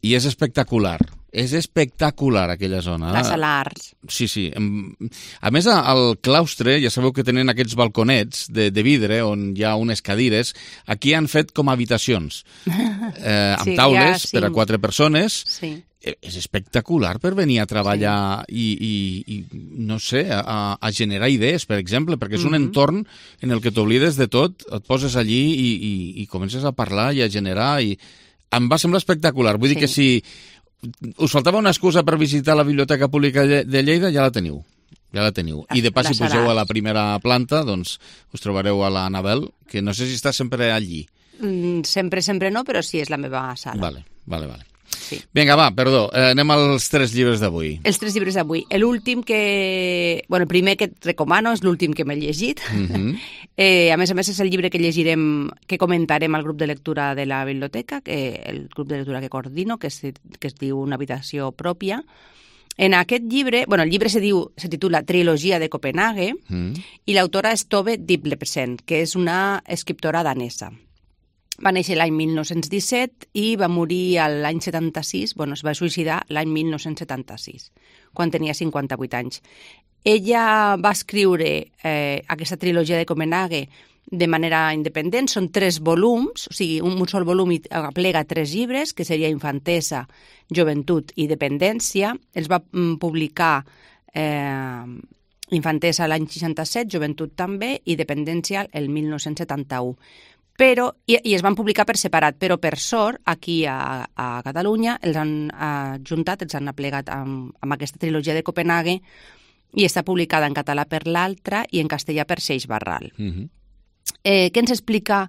I és espectacular. És espectacular, aquella zona. La sala Arts. Sí, sí. A més, al claustre, ja sabeu que tenen aquests balconets de, de vidre on hi ha unes cadires. Aquí han fet com habitacions, eh, amb Sí, taules ja, sí. per a quatre persones. Sí. Eh, És espectacular per venir a treballar i, i, i, no sé, a, a generar idees, per exemple, perquè és un Mhm. entorn en el que t'oblides de tot, et poses allí i, i, i comences a parlar i a generar. I em va semblar espectacular. Vull Sí. dir que si us faltava una excusa per visitar la Biblioteca Pública de Lleida, ja la teniu. Ja la teniu. I de pas, La si pugeu Sarà. a la primera planta, doncs us trobareu a la Anabel, que no sé si està sempre allí. Mm, Sempre, sempre no, però sí, és la meva sala. Vale, vale, vale. Sí. Vinga, va, perdó, eh, anem als tres llibres d'avui. Els tres llibres d'avui. L'últim que... Bueno, el primer que et recomano és l'últim que m'he llegit. Mhm. eh, a més a més, és el llibre que llegirem, que comentarem al grup de lectura de la biblioteca, que el grup de lectura que coordino, que es, que es diu Una habitació pròpia. En aquest llibre, bueno, el llibre se diu, se titula Trilogia de Copenhague, Mm. i l'autora és Tove Ditlevsen, que és una escriptora danesa. Va néixer l'any mil nou-cents disset i va morir l'any setanta-sis, bueno, es va suïcidar l'any mil nou-cents setanta-sis, quan tenia cinquanta-vuit anys. Ella va escriure eh, aquesta trilogia de Copenhague de manera independent, són tres volums, o sigui, un, un sol volum i aplega tres llibres, que seria Infantesa, Joventut i Dependència. Els va mm, publicar eh, Infantesa l'any seixanta-set, Joventut també, i Dependència el mil nou-cents setanta-u. Però, i, i es van publicar per separat, però per sort, aquí a, a Catalunya, els han ajuntat, els han aplegat amb, amb aquesta trilogia de Copenhague i està publicada en català per l'altra i en castellà per Seix Barral. Mhm. Eh, què ens explica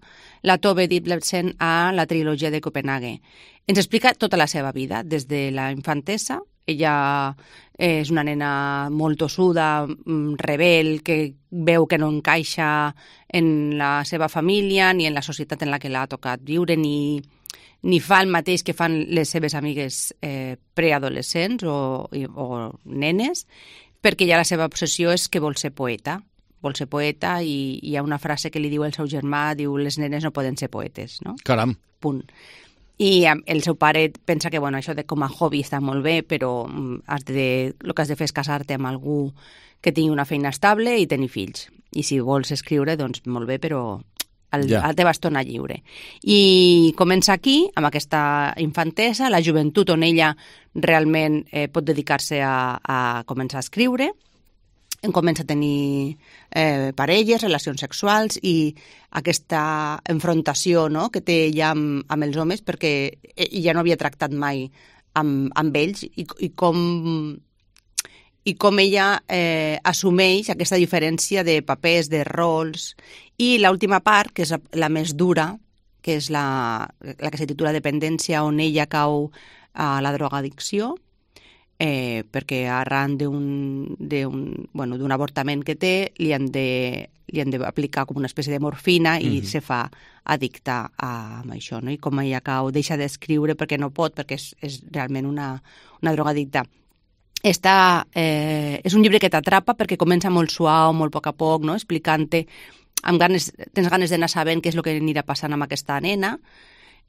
la Tove Ditlevsen a la trilogia de Copenhague? Ens explica tota la seva vida, des de la infantesa. Ella és una nena molt tossuda, mm, rebel, que veu que no encaixa en la seva família ni en la societat en la que l'ha tocat viure, ni, ni fa el mateix que fan les seves amigues eh, preadolescents o, i- o nenes, perquè ja la seva obsessió és que vol ser poeta. Vol ser poeta i hi ha una frase que li diu el seu germà, diu, les nenes no poden ser poetes, no? Caram. Punt. I eh, el seu pare pensa que bueno, això de com a hobby està molt bé, però mm, has de, el que has de fer és casar-te amb algú que tingui una feina estable i tenir fills. I si vols escriure, doncs molt bé, però el, Ja. la teva estona lliure. I comença aquí, amb aquesta infantesa, la joventut on ella realment eh, pot dedicar-se a, a començar a escriure, en comença a tenir eh, parelles, relacions sexuals i aquesta enfrontació, no?, que té ja amb, amb els homes, perquè ella no havia tractat mai amb, amb ells i, i com i com ella eh, assumeix aquesta diferència de papers, de rols. I l'última part, que és la, la més dura, que és la, la que se titula Dependència, on ella cau a la drogadicció, eh, perquè arran d'un d'un bueno, d'un avortament que té li han de li han d'aplicar com una espècie de morfina i Mhm. se fa addicta a, a això, no? I com ella cau, deixa d'escriure perquè no pot, perquè és, és realment una, una drogadicta. Està, eh, és un llibre que t'atrapa perquè comença molt suau, molt a poc a poc, no? Explicant-te, amb ganes, tens ganes d'anar sabent què és el que anirà passant amb aquesta nena,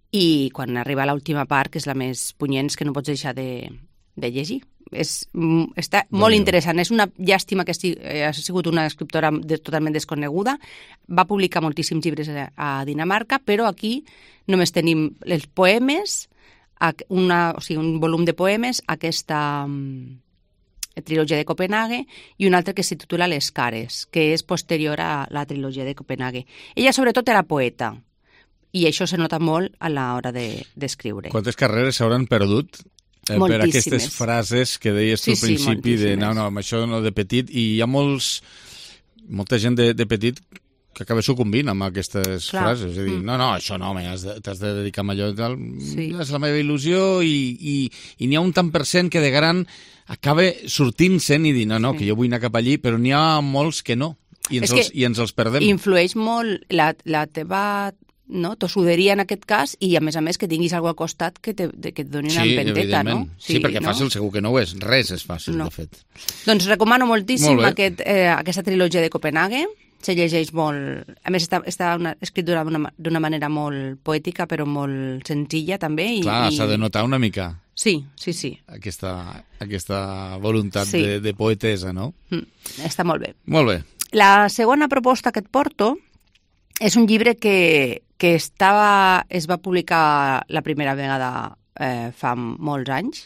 i quan arriba a l'última part, que és la més punyent, és que no pots deixar de, de llegir. És, mm, està molt Déu-n'hi-do. interessant. És una llàstima que esti, eh, ha sigut una escriptora de, totalment desconeguda. Va publicar moltíssims llibres a, a Dinamarca, però aquí només tenim els poemes, ac- una, o sigui, un volum de poemes, aquesta mm, trilogia de Copenhague, i un altre que se titula Les cares, que és posterior a la trilogia de Copenhague. Ella, sobretot, era poeta, i això se nota molt a l'hora de- d'escriure. Quantes carreres s'hauran perdut eh, per Moltíssimes. aquestes frases que deies tu Sí, al sí, principi de no, moltíssimes. no, amb això no de petit, i hi ha molts molta gent de, de petit que acaba sucumbint amb aquestes Clar. frases, és a dir, Mm. no, no, això no, home, has de- t'has de dedicar a allò i tal, Sí. és la meva il·lusió, i, i, i n'hi ha un tant per cent que de gran acaba sortint-se'n i dir, no, no, Sí. que jo vull anar cap allí, però n'hi ha molts que no, i ens, És que els, i ens els perdem. Influeix molt la, la teva no, tossuderia en aquest cas, i a més a més que tinguis algú al costat que, te, de, que et doni una Sí, empenteta, evidentment. no? Sí, perquè no? fàcil segur que no ho és. Res és fàcil, No. de fet. Doncs recomano moltíssim Molt bé. aquest, eh, aquesta trilogia de Copenhague. Se llegeix molt... A més, està, està una, escrit d'una d'una manera molt poètica, però molt senzilla, també. I, Clar, i... s'ha de notar una mica. Sí, sí, sí. Aquesta, aquesta voluntat Sí. de, de poetesa, no? Mm, està molt bé. Molt bé. La segona proposta que et porto és un llibre que, que estava, es va publicar la primera vegada eh, fa molts anys.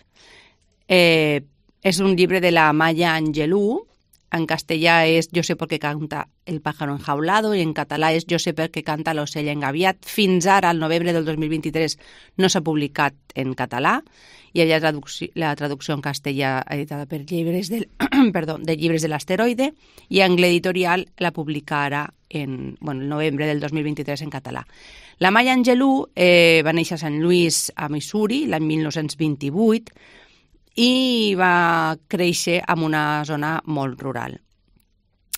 Eh, és un llibre de la Maya Angelou. En castellà és Yo sé por qué canta el pájaro enjaulado i en català és Yo sé per què canta l'ocell engaviat. Fins ara, al novembre del dos mil vint-i-tres, no s'ha publicat en català. Hi havia traducció, la traducció en castellà editada per llibres del, perdó, de llibres de l'asteroide i Angle Editorial la publica ara en bueno, el novembre del dos mil vint-i-tres en català. La Maya Angelou eh, va néixer a Sant Louis, a Missouri, l'any mil nou-cents vint-i-vuit, i va créixer en una zona molt rural.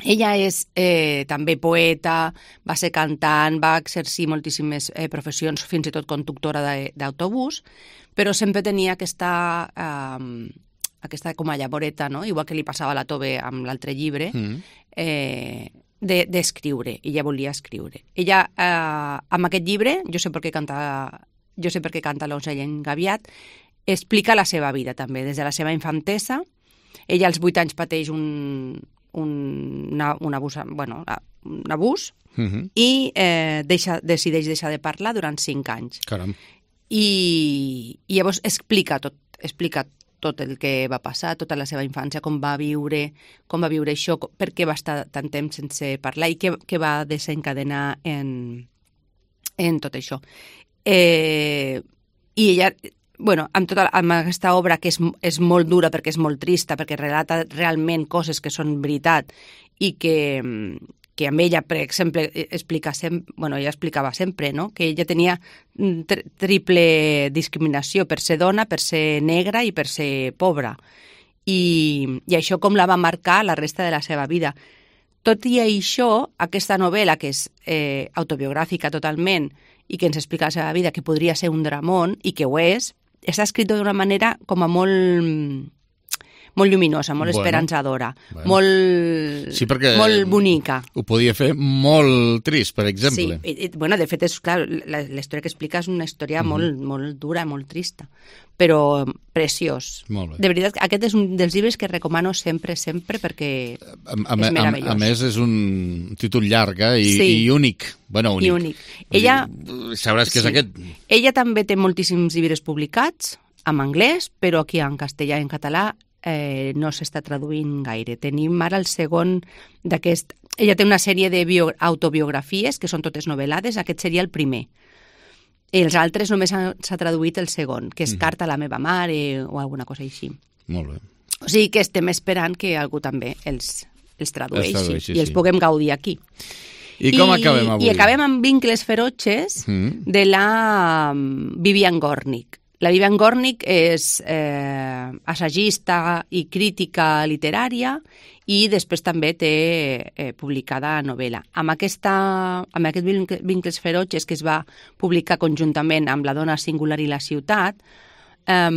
Ella és eh, també poeta, va ser cantant, va exercir moltíssimes eh, professions, fins i tot conductora d'autobús, però sempre tenia aquesta, eh, aquesta com a llavoreta, no? Igual que li passava a la Tove amb l'altre llibre, mm. eh, d'escriure. De, ella volia escriure. Ella, eh, amb aquest llibre, Jo sé per què canta, jo sé per què canta l'ocell engaviat, explica la seva vida també, des de la seva infantesa. Ella als vuit anys pateix un, un, una, un abús, bueno, un abús uh-huh. i eh, deixa, decideix deixar de parlar durant cinc anys. Caram. I, i llavors explica tot, explica tot el que va passar, tota la seva infància, com va viure, com va viure això, per què va estar tant temps sense parlar i què, què va desencadenar en, en tot això. Eh, I ella... Bueno, amb, tota, amb aquesta obra que és, és molt dura perquè és molt trista, perquè relata realment coses que són veritat i que, que amb ella, per exemple, explica sempre, bueno, ella explicava sempre, no? Que ella tenia tri triple discriminació per ser dona, per ser negra i per ser pobra. I, i això com la va marcar la resta de la seva vida. Tot i això, aquesta novel·la, que és eh, autobiogràfica totalment i que ens explica la seva vida, que podria ser un dramón, i que ho és, està escrit d'una manera com a molt, molt lluminosa, molt bueno, esperançadora, bueno. molt, sí, molt bonica. Ho podia fer molt trist, per exemple. Sí, i, bueno, de fet, és, clar, la, la història que explica és una història mm-hmm. molt, molt dura, molt trista, però preciós. Molt bé. De veritat, aquest és un dels llibres que recomano sempre, sempre, perquè a, a, és meravellós. A, a més, és un títol llarg eh? I, sí. i únic. Bueno, únic. I únic. Ella, sabràs que és sí. aquest. Ella també té moltíssims llibres publicats en anglès, però aquí en castellà i en català eh, no s'està traduint gaire. Tenim ara el segon d'aquest... Ella té una sèrie d'autobiografies, que són totes novel·lades, aquest seria el primer. I els altres només s'ha traduït el segon, que és mm. Carta a la meva mare o alguna cosa així. Molt bé. O sigui que estem esperant que algú també els, els tradueixi, els tradueixi i els sí. puguem gaudir aquí. I com I, acabem avui? I acabem amb Vincles feroces mm. de la Vivian Gornick. La Vivian Gornick és eh, assagista i crítica literària i després també té eh, publicada novel·la. Amb, aquesta, amb aquest Vincles feroces que es va publicar conjuntament amb La dona singular i la ciutat, eh,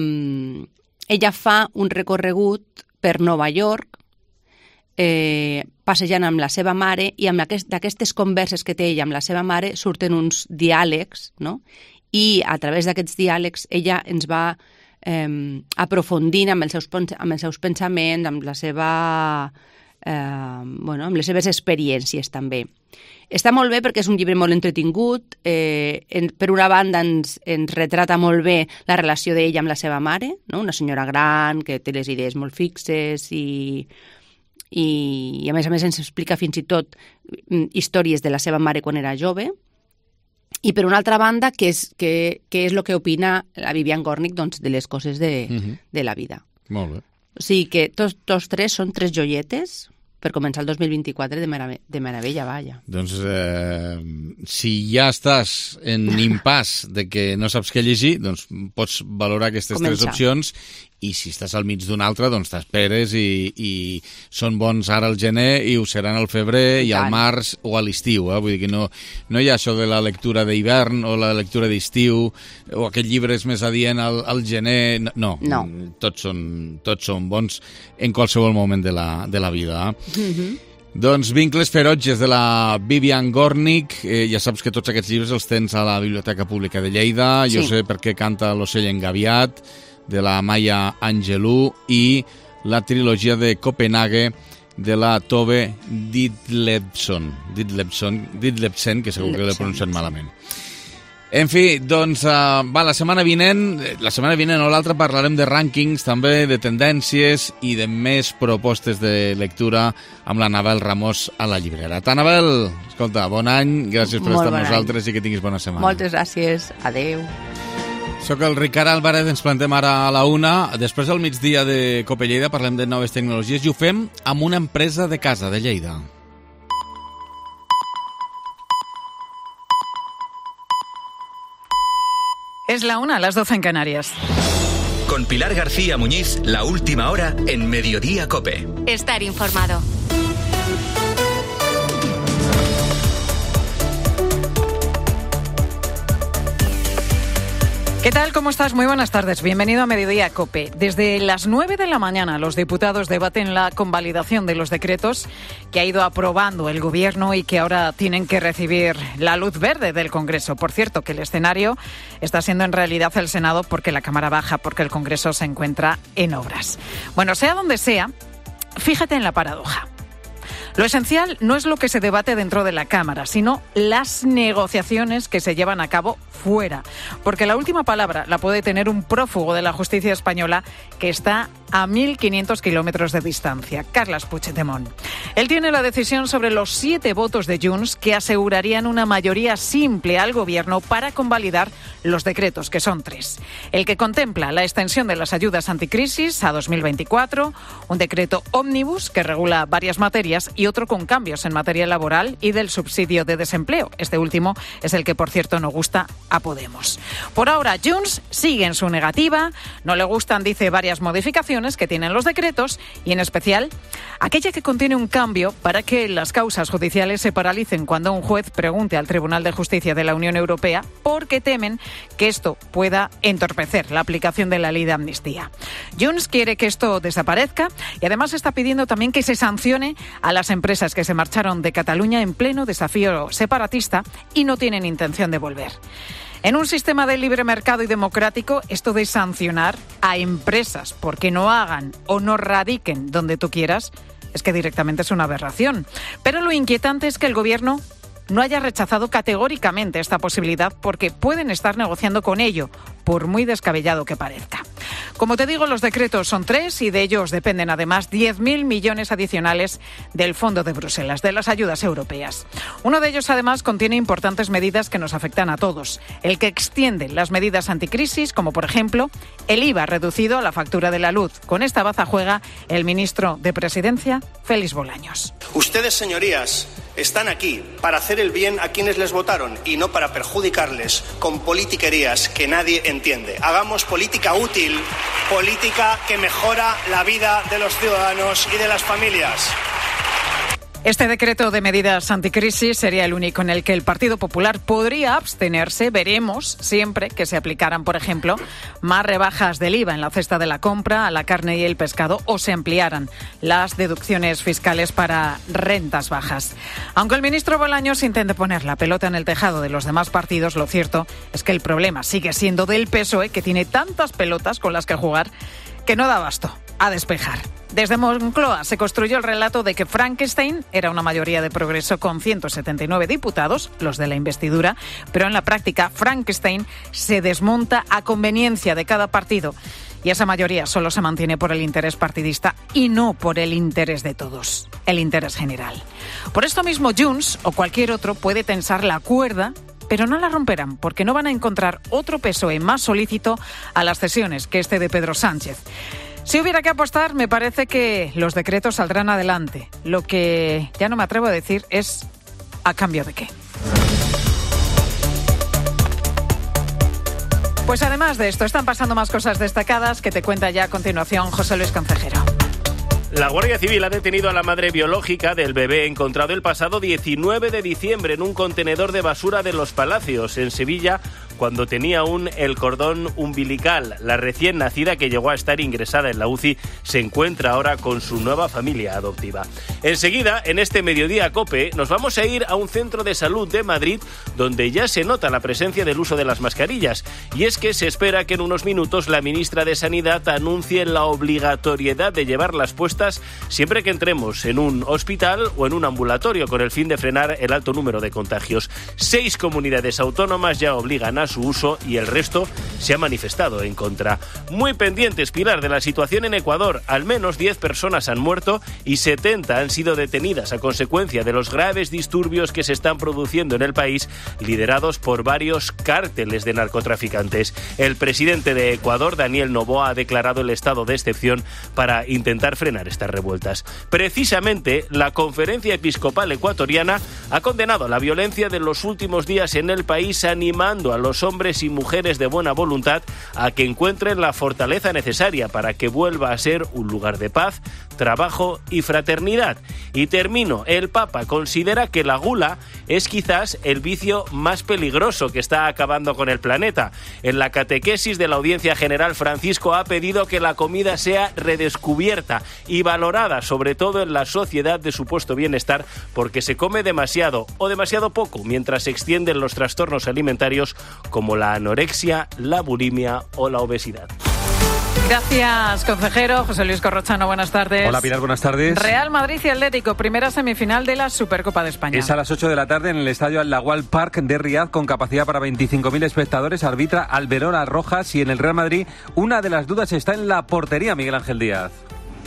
ella fa un recorregut per Nova York eh, passejant amb la seva mare i amb aquest, d'aquestes converses que té ella amb la seva mare surten uns diàlegs, no? I a través d'aquests diàlegs ella ens va eh, aprofundint amb els, seus, amb els seus pensaments, amb la seva, eh, bueno, amb les seves experiències també. Està molt bé perquè és un llibre molt entretingut, eh, en, per una banda ens, ens retrata molt bé la relació d'ella amb la seva mare, no? Una senyora gran que té les idees molt fixes i, i, i a més a més ens explica fins i tot històries de la seva mare quan era jove. I per una altra banda, què és, què, què és el que opina la Vivian Gornick doncs, de les coses de, uh-huh. de la vida. Molt bé. O sigui que tots, tots tres són tres joietes per començar el dos mil vint-i-quatre de, merave de meravella, vaja. Doncs eh, si ja estàs en impàs de que no saps què llegir, doncs pots valorar aquestes Començar. tres opcions i si estàs al mig d'una altra, doncs t'esperes i, i són bons ara al gener i ho seran al febrer i, i al març o a l'estiu. Eh? Vull dir que no, no hi ha això de la lectura d'hivern o la lectura d'estiu o aquest llibre és més adient al, al gener. No, no. Tots, són, tots són bons en qualsevol moment de la, de la vida. Eh? Mm-hmm. Doncs Vincles feroces de la Vivian Gornick. Eh, ja saps que tots aquests llibres els tens a la Biblioteca Pública de Lleida. Sí. Jo sé per què canta l'ocell engaviat. de la Maya Angelou i la trilogia de Copenhague de la Tove Ditlevsen, Ditlevsen, Ditlevsen, que segur que l'he pronunciat malament. En fi, doncs, uh, va, la setmana vinent, la setmana vinent o l'altra parlarem de rànquings, també de tendències i de més propostes de lectura amb l'Anabel Ramós a la llibrera. Anabel, escolta, bon any, gràcies per Molt estar bon amb nosaltres i que tinguis bona setmana. Moltes gràcies, adeu. Soc el Ricard Álvarez, ens plantem ara a la una. Després del migdia de Cope Lleida parlem de noves tecnologies i ho fem amb una empresa de casa de Lleida. Es la una, las doce en Canarias. Con Pilar García Muñiz, la última hora en Mediodía Cope. Estar informado. ¿Qué tal? ¿Cómo estás? Muy buenas tardes. Bienvenido a Mediodía Cope. Desde las nueve de la mañana los diputados debaten la convalidación de los decretos que ha ido aprobando el Gobierno y que ahora tienen que recibir la luz verde del Congreso. Por cierto, que el escenario está siendo en realidad el Senado porque la Cámara baja, porque el Congreso se encuentra en obras. Bueno, sea donde sea, fíjate en la paradoja. Lo esencial no es lo que se debate dentro de la Cámara, sino las negociaciones que se llevan a cabo fuera. Porque la última palabra la puede tener un prófugo de la justicia española que está a mil quinientos kilómetros de distancia, Carles Puigdemont. Él tiene la decisión sobre los siete votos de Junts que asegurarían una mayoría simple al Gobierno para convalidar los decretos, que son tres. El que contempla la extensión de las ayudas anticrisis a dos mil veinticuatro, un decreto ómnibus que regula varias materias y otro con cambios en materia laboral y del subsidio de desempleo. Este último es el que, por cierto, no gusta a Podemos. Por ahora, Junts sigue en su negativa, no le gustan, dice, varias modificaciones que tienen los decretos y, en especial, aquella que contiene un cambio para que las causas judiciales se paralicen cuando un juez pregunte al Tribunal de Justicia de la Unión Europea porque temen que esto pueda entorpecer la aplicación de la ley de amnistía. Junts quiere que esto desaparezca y además está pidiendo también que se sancione a las empresas que se marcharon de Cataluña en pleno desafío separatista y no tienen intención de volver. En un sistema de libre mercado y democrático, esto de sancionar a empresas porque no hagan o no radiquen donde tú quieras, es que directamente es una aberración. Pero lo inquietante es que el Gobierno no haya rechazado categóricamente esta posibilidad porque pueden estar negociando con ello, por muy descabellado que parezca. Como te digo, los decretos son tres y de ellos dependen además diez mil millones adicionales del Fondo de Bruselas, de las ayudas europeas. Uno de ellos además contiene importantes medidas que nos afectan a todos. El que extiende las medidas anticrisis, como por ejemplo el I V A reducido a la factura de la luz. Con esta baza juega el ministro de Presidencia, Félix Bolaños. Ustedes, señorías, están aquí para hacer el bien a quienes les votaron y no para perjudicarles con politiquerías que nadie entiende. Hagamos política útil, política que mejora la vida de los ciudadanos y de las familias. Este decreto de medidas anticrisis sería el único en el que el Partido Popular podría abstenerse. Veremos siempre que se aplicaran, por ejemplo, más rebajas del I V A en la cesta de la compra, a la carne y el pescado, o se ampliaran las deducciones fiscales para rentas bajas. Aunque el ministro Bolaños intente poner la pelota en el tejado de los demás partidos, lo cierto es que el problema sigue siendo del P S O E, que tiene tantas pelotas con las que jugar que no da abasto a despejar. Desde Moncloa se construyó el relato de que Frankenstein era una mayoría de progreso con ciento setenta y nueve diputados, los de la investidura, pero en la práctica Frankenstein se desmonta a conveniencia de cada partido y esa mayoría solo se mantiene por el interés partidista y no por el interés de todos, el interés general. Por esto mismo Junts o cualquier otro puede tensar la cuerda, pero no la romperán porque no van a encontrar otro P S O E más solícito a las cesiones que este de Pedro Sánchez. Si hubiera que apostar, me parece que los decretos saldrán adelante. Lo que ya no me atrevo a decir es ¿a cambio de qué? Pues además de esto, están pasando más cosas destacadas que te cuenta ya a continuación José Luis Concejero. La Guardia Civil ha detenido a la madre biológica del bebé encontrado el pasado diecinueve de diciembre en un contenedor de basura de Los Palacios, en Sevilla, cuando tenía aún el cordón umbilical. La recién nacida, que llegó a estar ingresada en la U C I, se encuentra ahora con su nueva familia adoptiva. Enseguida, en este Mediodía COPE, nos vamos a ir a un centro de salud de Madrid donde ya se nota la presencia del uso de las mascarillas. Y es que se espera que en unos minutos la ministra de Sanidad anuncie la obligatoriedad de llevarlas puestas siempre que entremos en un hospital o en un ambulatorio, con el fin de frenar el alto número de contagios. Seis comunidades autónomas ya obligan a su uso y el resto se ha manifestado en contra. Muy pendientes, Pilar, de la situación en Ecuador. Al menos diez personas han muerto y setenta han sido detenidas a consecuencia de los graves disturbios que se están produciendo en el país, liderados por varios cárteles de narcotraficantes. El presidente de Ecuador, Daniel Noboa, ha declarado el estado de excepción para intentar frenar estas revueltas. Precisamente, la Conferencia Episcopal Ecuatoriana ha condenado la violencia de los últimos días en el país, animando a los hombres y mujeres de buena voluntad a que encuentren la fortaleza necesaria para que vuelva a ser un lugar de paz, trabajo y fraternidad. Y termino, el Papa considera que la gula es quizás el vicio más peligroso que está acabando con el planeta. En la catequesis de la Audiencia General, Francisco ha pedido que la comida sea redescubierta y valorada, sobre todo en la sociedad de supuesto bienestar, porque se come demasiado o demasiado poco, mientras se extienden los trastornos alimentarios como la anorexia, la bulimia o la obesidad. Gracias, consejero. José Luis Corrochano, buenas tardes. Hola, Pilar, buenas tardes. Real Madrid y Atlético, primera semifinal de la Supercopa de España. Es a las ocho de la tarde en el estadio Al-Lawal Park de Riad, con capacidad para veinticinco mil espectadores. Arbitra Alberola Rojas, y en el Real Madrid una de las dudas está en la portería, Miguel Ángel Díaz.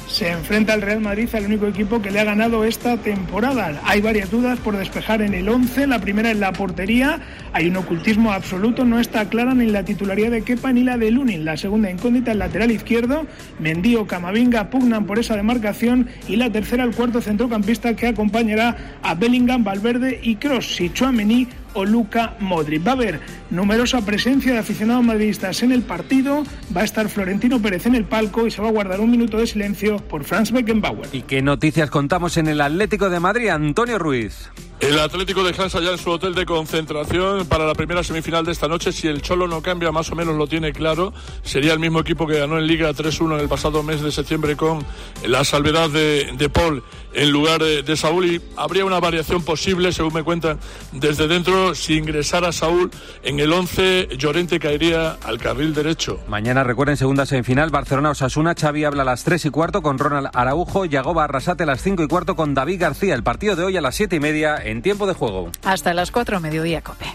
Se enfrenta el Real Madrid al único equipo que le ha ganado esta temporada. Hay varias dudas por despejar en el once. La primera es la portería. Hay un ocultismo absoluto. No está clara ni la titularidad de Kepa ni la de Lunin. La segunda incógnita, el lateral izquierdo. Mendy o Camavinga pugnan por esa demarcación. Y la tercera, el cuarto centrocampista que acompañará a Bellingham, Valverde y Kroos. Si Tchouaméni o Luka Modric. Va a haber numerosa presencia de aficionados madridistas en el partido. Va a estar Florentino Pérez en el palco y se va a guardar un minuto de silencio por Franz Beckenbauer. ¿Y qué noticias contamos en el Atlético de Madrid? Antonio Ruiz. El Atlético descansa ya en su hotel de concentración para la primera semifinal de esta noche. Si el Cholo no cambia, más o menos lo tiene claro. Sería el mismo equipo que ganó en Liga tres uno en el pasado mes de septiembre, con la salvedad de, de Paul en lugar de, de Saúl. Y habría una variación posible, según me cuentan desde dentro. Si ingresara Saúl en el once, Llorente caería al carril derecho. Mañana, recuerden, segunda semifinal, Barcelona-Osasuna. Xavi habla a las tres y cuarto con Ronald Araujo. Yagoba Arrasate a las cinco y cuarto con David García. El partido de hoy a las siete y media en tiempo de juego. Hasta las cuatro, Mediodía COPE.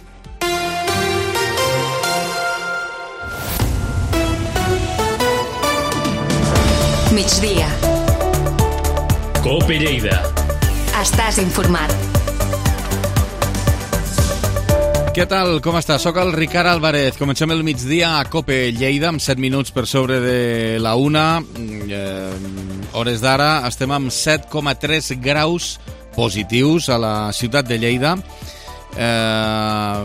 Migdia. COPE Lleida. Estàs informat. Què tal? Com està? Soc el Ricard Álvarez. Comencem el migdia a COPE Lleida, amb set minuts per sobre de la una. Eh, hores d'ara estem amb set coma tres graus positius a la ciutat de Lleida. Eh,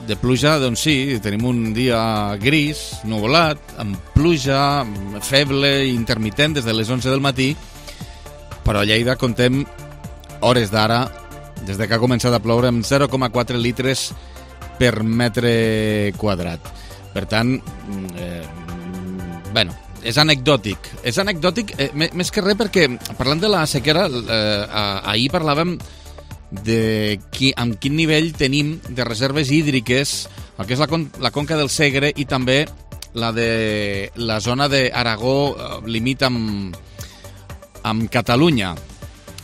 de pluja, doncs sí, tenim un dia gris, nuvolat, amb pluja feble i intermitent des de les onze del matí, però a Lleida contem hores d'ara, des de que ha començat a ploure, amb zero coma quatre litres per metre quadrat. Per tant, eh, bueno, és anecdòtic. És anecdòtic, eh, més que res, perquè parlant de la sequera, eh, ahir parlàvem de qui, amb quin nivell tenim de reserves hídriques, el que és la, con, la conca del Segre i també la de la zona d'Aragó, eh, limit amb, amb Catalunya.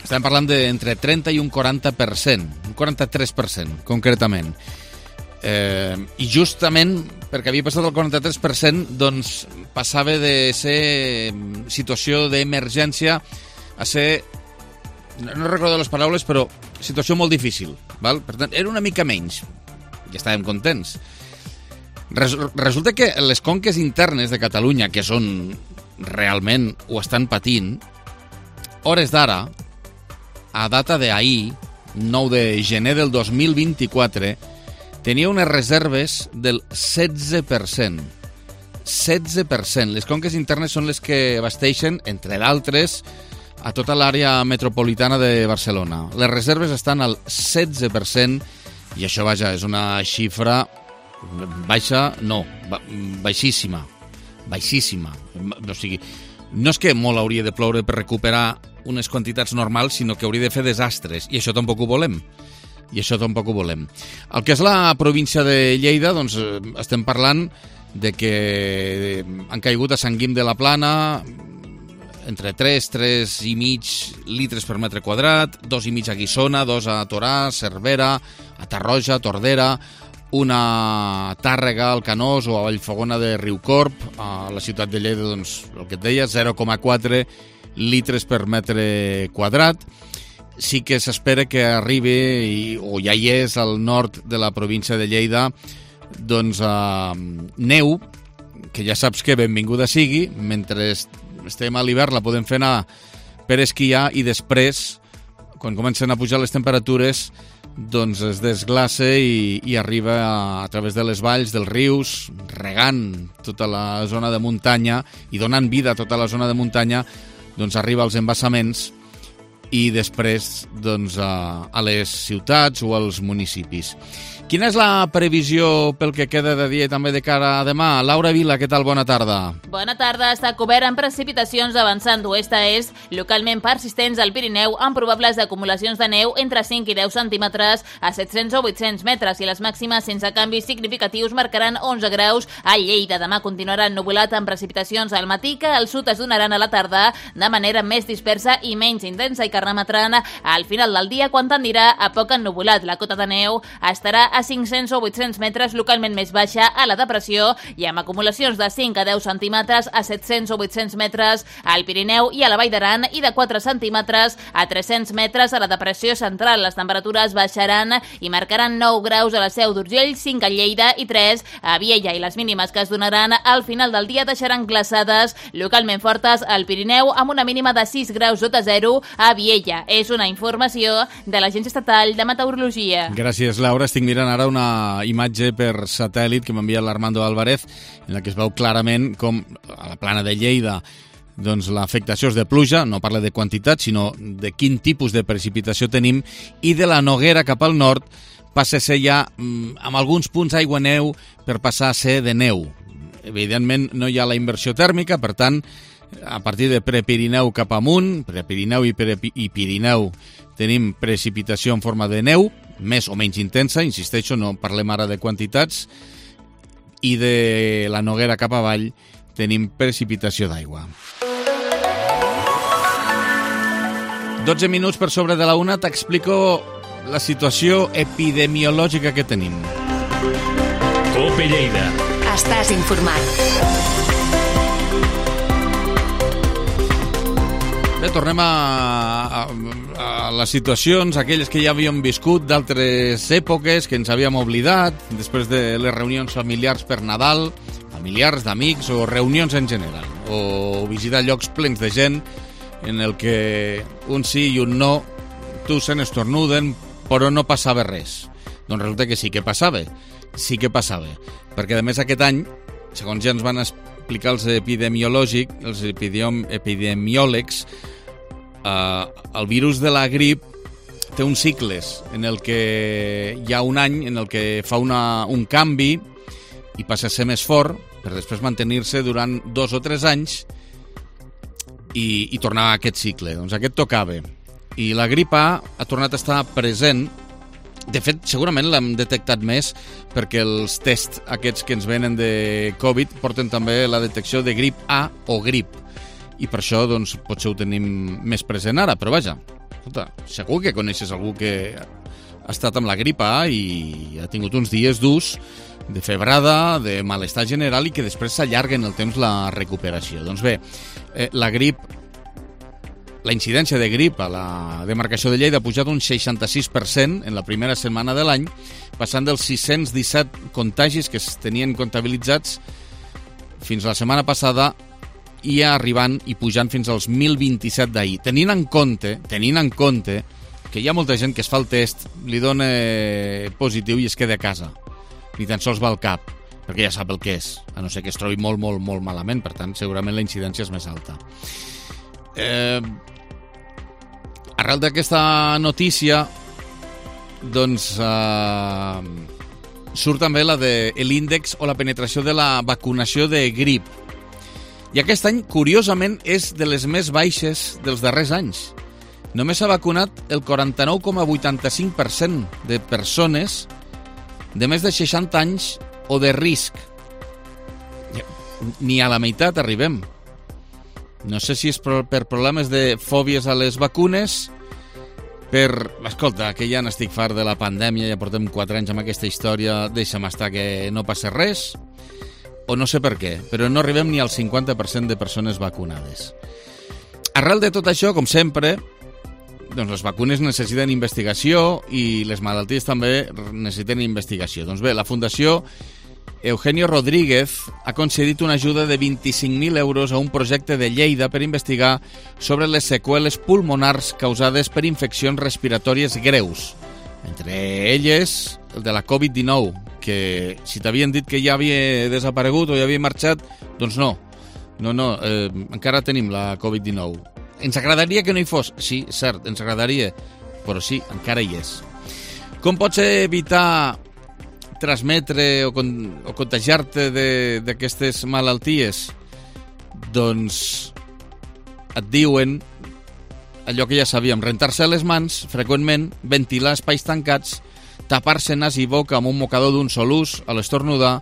Estem parlant d'entre trenta i un quaranta per cent, un quaranta-tres per cent, concretament. Eh, I justament perquè havia passat el quaranta-tres per cent, doncs passava de ser situació d'emergència a ser, no recordo les paraules, però situació molt difícil. Val? Per tant, era una mica menys. Ja estàvem contents. Resulta que les conques internes de Catalunya, que són realment, ho estan patint, hores d'ara, a data d'ahir, nou de gener del dos mil vint-i-quatre, tenia unes reserves del setze per cent. setze per cent. Les conques internes són les que abasteixen, entre d'altres, a tota l'àrea metropolitana de Barcelona. Les reserves estan al setze per cent I això, vaja, és una xifra baixa, no, baixíssima, baixíssima. O sigui, no és que molt hauria de ploure per recuperar unes quantitats normals, sinó que hauria de fer desastres, i això tampoc ho volem. I això tampoc ho volem. El que és la província de Lleida, doncs estem parlant de que han caigut a Sant Guim de la Plana entre tres, tres i mig litres per metre quadrat, dos i mig a Guissona, dos a Torà, Cervera, a Tarroja, Tordera, una Tàrrega, al Canós o a Vallfogona de Riucorp, a la ciutat de Lleida, doncs, el que et deia, zero coma quatre litres per metre quadrat. Sí que s'espera que arribi, o ja hi és, al nord de la província de Lleida, doncs eh, neu, que ja saps que benvinguda sigui, mentre estem a l'hivern la podem fer anar per esquiar i després, quan comencen a pujar les temperatures, doncs es desglaça i, i arriba a, a través de les valls, dels rius, regant tota la zona de muntanya i donant vida a tota la zona de muntanya, doncs arriba als embassaments i després doncs, a, a les ciutats o als municipis. Quina és la previsió pel que queda de dia i també de cara a demà? Laura Vila, què tal? Bona tarda. Bona tarda. Està cobert amb precipitacions avançant d'oest a est, localment persistents al Pirineu, amb probables acumulacions de neu entre cinc i deu centímetres a set-cents o vuit-cents metres, i les màximes sense canvis significatius marcaran onze graus a Lleida. Demà continuarà ennuvolat amb precipitacions al matí, que al sud es donaran a la tarda de manera més dispersa i menys intensa, i que remetran al final del dia, quan tendirà a poc ennuvolat. La cota de neu estarà a cinc-cents o vuit-cents metres, localment més baixa a la depressió, i amb acumulacions de cinc a deu centímetres a set-cents o vuit-cents metres al Pirineu i a la Vall d'Aran, i de quatre centímetres a tres-cents metres a la depressió central. Les temperatures baixaran i marcaran nou graus a la Seu d'Urgell, cinc a Lleida i tres a Viella, i les mínimes que es donaran al final del dia deixaran glaçades localment fortes al Pirineu, amb una mínima de sis graus sota zero a Viella. És una informació de l'Agència Estatal de Meteorologia. Gràcies, Laura. Estic mirant ara una imatge per satèl·lit que m'envia l'Armando Álvarez, en la que es veu clarament com a la plana de Lleida doncs l'afectació és de pluja, no parla de quantitat, sinó de quin tipus de precipitació tenim, i de la Noguera cap al nord passa a ser ja, amb alguns punts aigua-neu, per passar a ser de neu. Evidentment no hi ha la inversió tèrmica, per tant, a partir de Prepirineu cap amunt, Prepirineu i, Prepi, i Pirineu, tenim precipitació en forma de neu, més o menys intensa, insisteixo, no parlem ara de quantitats, i de la Noguera cap avall tenim precipitació d'aigua. dotze minuts per sobre de la una, t'explico la situació epidemiològica que tenim. COPE Lleida. Estàs informat. Bé, tornem a, a, a les situacions, aquelles que ja havíem viscut d'altres èpoques, que ens havíem oblidat, després de les reunions familiars per Nadal, familiars, d'amics o reunions en general, o visitar llocs plens de gent en el que un sí i un no tussen, estornuden, però no passava res. Doncs resulta que sí que passava, sí que passava, perquè a més aquest any, segons ja ens van explicar els epidemiològics, els epidemi epidemiòlegs, eh, el virus de la grip té uns cicles en el que hi ha un any en el que fa una, un canvi i passa a ser més fort per després mantenir-se durant dos o tres anys i, i tornar a aquest cicle. Doncs aquest tocava. I la grip A ha tornat a estar present. De fet, segurament l'hem detectat més perquè els tests aquests que ens venen de Covid porten també la detecció de grip A o grip. I per això, doncs, potser ho tenim més present ara. Però vaja, escolta, segur que coneixes algú que ha estat amb la grip A i ha tingut uns dies durs de febrada, de malestar general i que després s'allarga en el temps la recuperació. Doncs bé, eh, la grip, la incidència de grip a la demarcació de Lleida ha pujat un seixanta-sis per cent en la primera setmana de l'any, passant dels sis-cents disset contagis que es tenien comptabilitzats fins la setmana passada i arribant i pujant fins als mil vint-i-set d'ahir. Tenint en compte, tenint en compte que hi ha molta gent que es fa el test, li dona positiu i es queda a casa. Ni tan sols va al cap, perquè ja sap el que és, a no ser que es trobi molt, molt, molt malament, per tant, segurament la incidència és més alta. Eh, arrel d'aquesta notícia, doncs uh, surt també la de l'índex o la penetració de la vacunació de grip. I aquest any, curiosament, és de les més baixes dels darrers anys. Només s'ha vacunat el quaranta-nou coma vuitanta-cinc per cent de persones de més de seixanta anys o de risc. Ni a la meitat arribem. No sé si és per problemes de fòbies a les vacunes, per... Escolta, que ja n'estic fart de la pandèmia, ja portem quatre anys amb aquesta història, deixa'm estar que no passa res, o no sé per què, però no arribem ni al cinquanta per cent de persones vacunades. Arrel de tot això, com sempre, doncs les vacunes necessiten investigació i les malalties també necessiten investigació. Doncs bé, la Fundació Eugenio Rodríguez ha concedit una ajuda de vint-i-cinc mil euros a un projecte de Lleida per investigar sobre les seqüeles pulmonars causades per infeccions respiratòries greus. Entre elles, el de la covid dinou, que si t'havien dit que ja havia desaparegut o ja havia marxat, doncs no. No, no, eh, encara tenim la covid dinou. Ens agradaria que no hi fos? Sí, cert, ens agradaria, però sí, encara hi és. Com pots evitar transmetre o, con o contagiar-te d'aquestes malalties? Doncs et diuen allò que ja sabíem, rentar-se les mans freqüentment, ventilar espais tancats, tapar-se nas i boca amb un mocador d'un sol ús a l'estornudar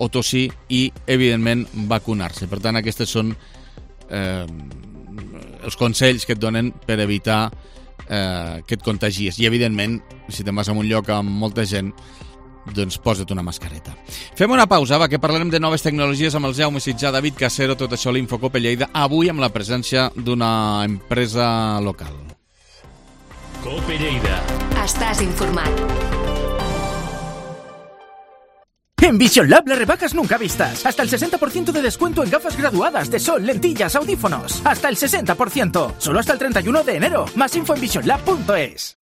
o tossir i, evidentment, vacunar-se. Per tant, aquestes són eh, els consells que et donen per evitar eh, que et contagies. I, evidentment, si te'n vas a un lloc amb molta gent, doncs posa't una mascareta. Fem una pausa, va, que parlarem de noves tecnologies amb el Jaume Sitjà, David Casero, tot això a l'Infocope Lleida, avui amb la presència d'una empresa local. Cope Lleida. Estàs informat. En Vision Lab las rebajas nunca vistas. Hasta el sesenta por ciento de descuento en gafas graduadas de sol, lentillas, audífonos. Hasta el sesenta por ciento. Solo hasta el treinta y uno de enero. Más info en vision lab punto es.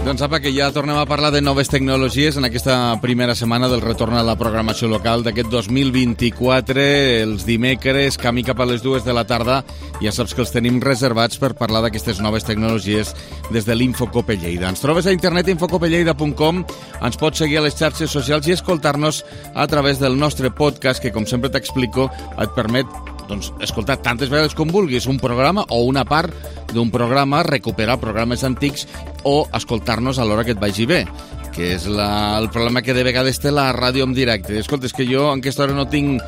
Doncs apa, que ja tornem a parlar de noves tecnologies en aquesta primera setmana del retorn a la programació local d'aquest dos mil vint-i-quatre, els dimecres, camí cap a les dues de la tarda. Ja saps que els tenim reservats per parlar d'aquestes noves tecnologies des de l'Infocope Lleida. Ens trobes a internet infocope lleida punt com, ens pots seguir a les xarxes socials i escoltar-nos a través del nostre podcast, que, com sempre t'explico, et permet doncs, escoltar tantes vegades com vulguis un programa o una part d'un programa, recuperar programes antics o escoltar-nos a l'hora que et vagi bé, que és la, el problema que de vegades té la ràdio en directe. Escolta, és que jo en aquesta hora no tinc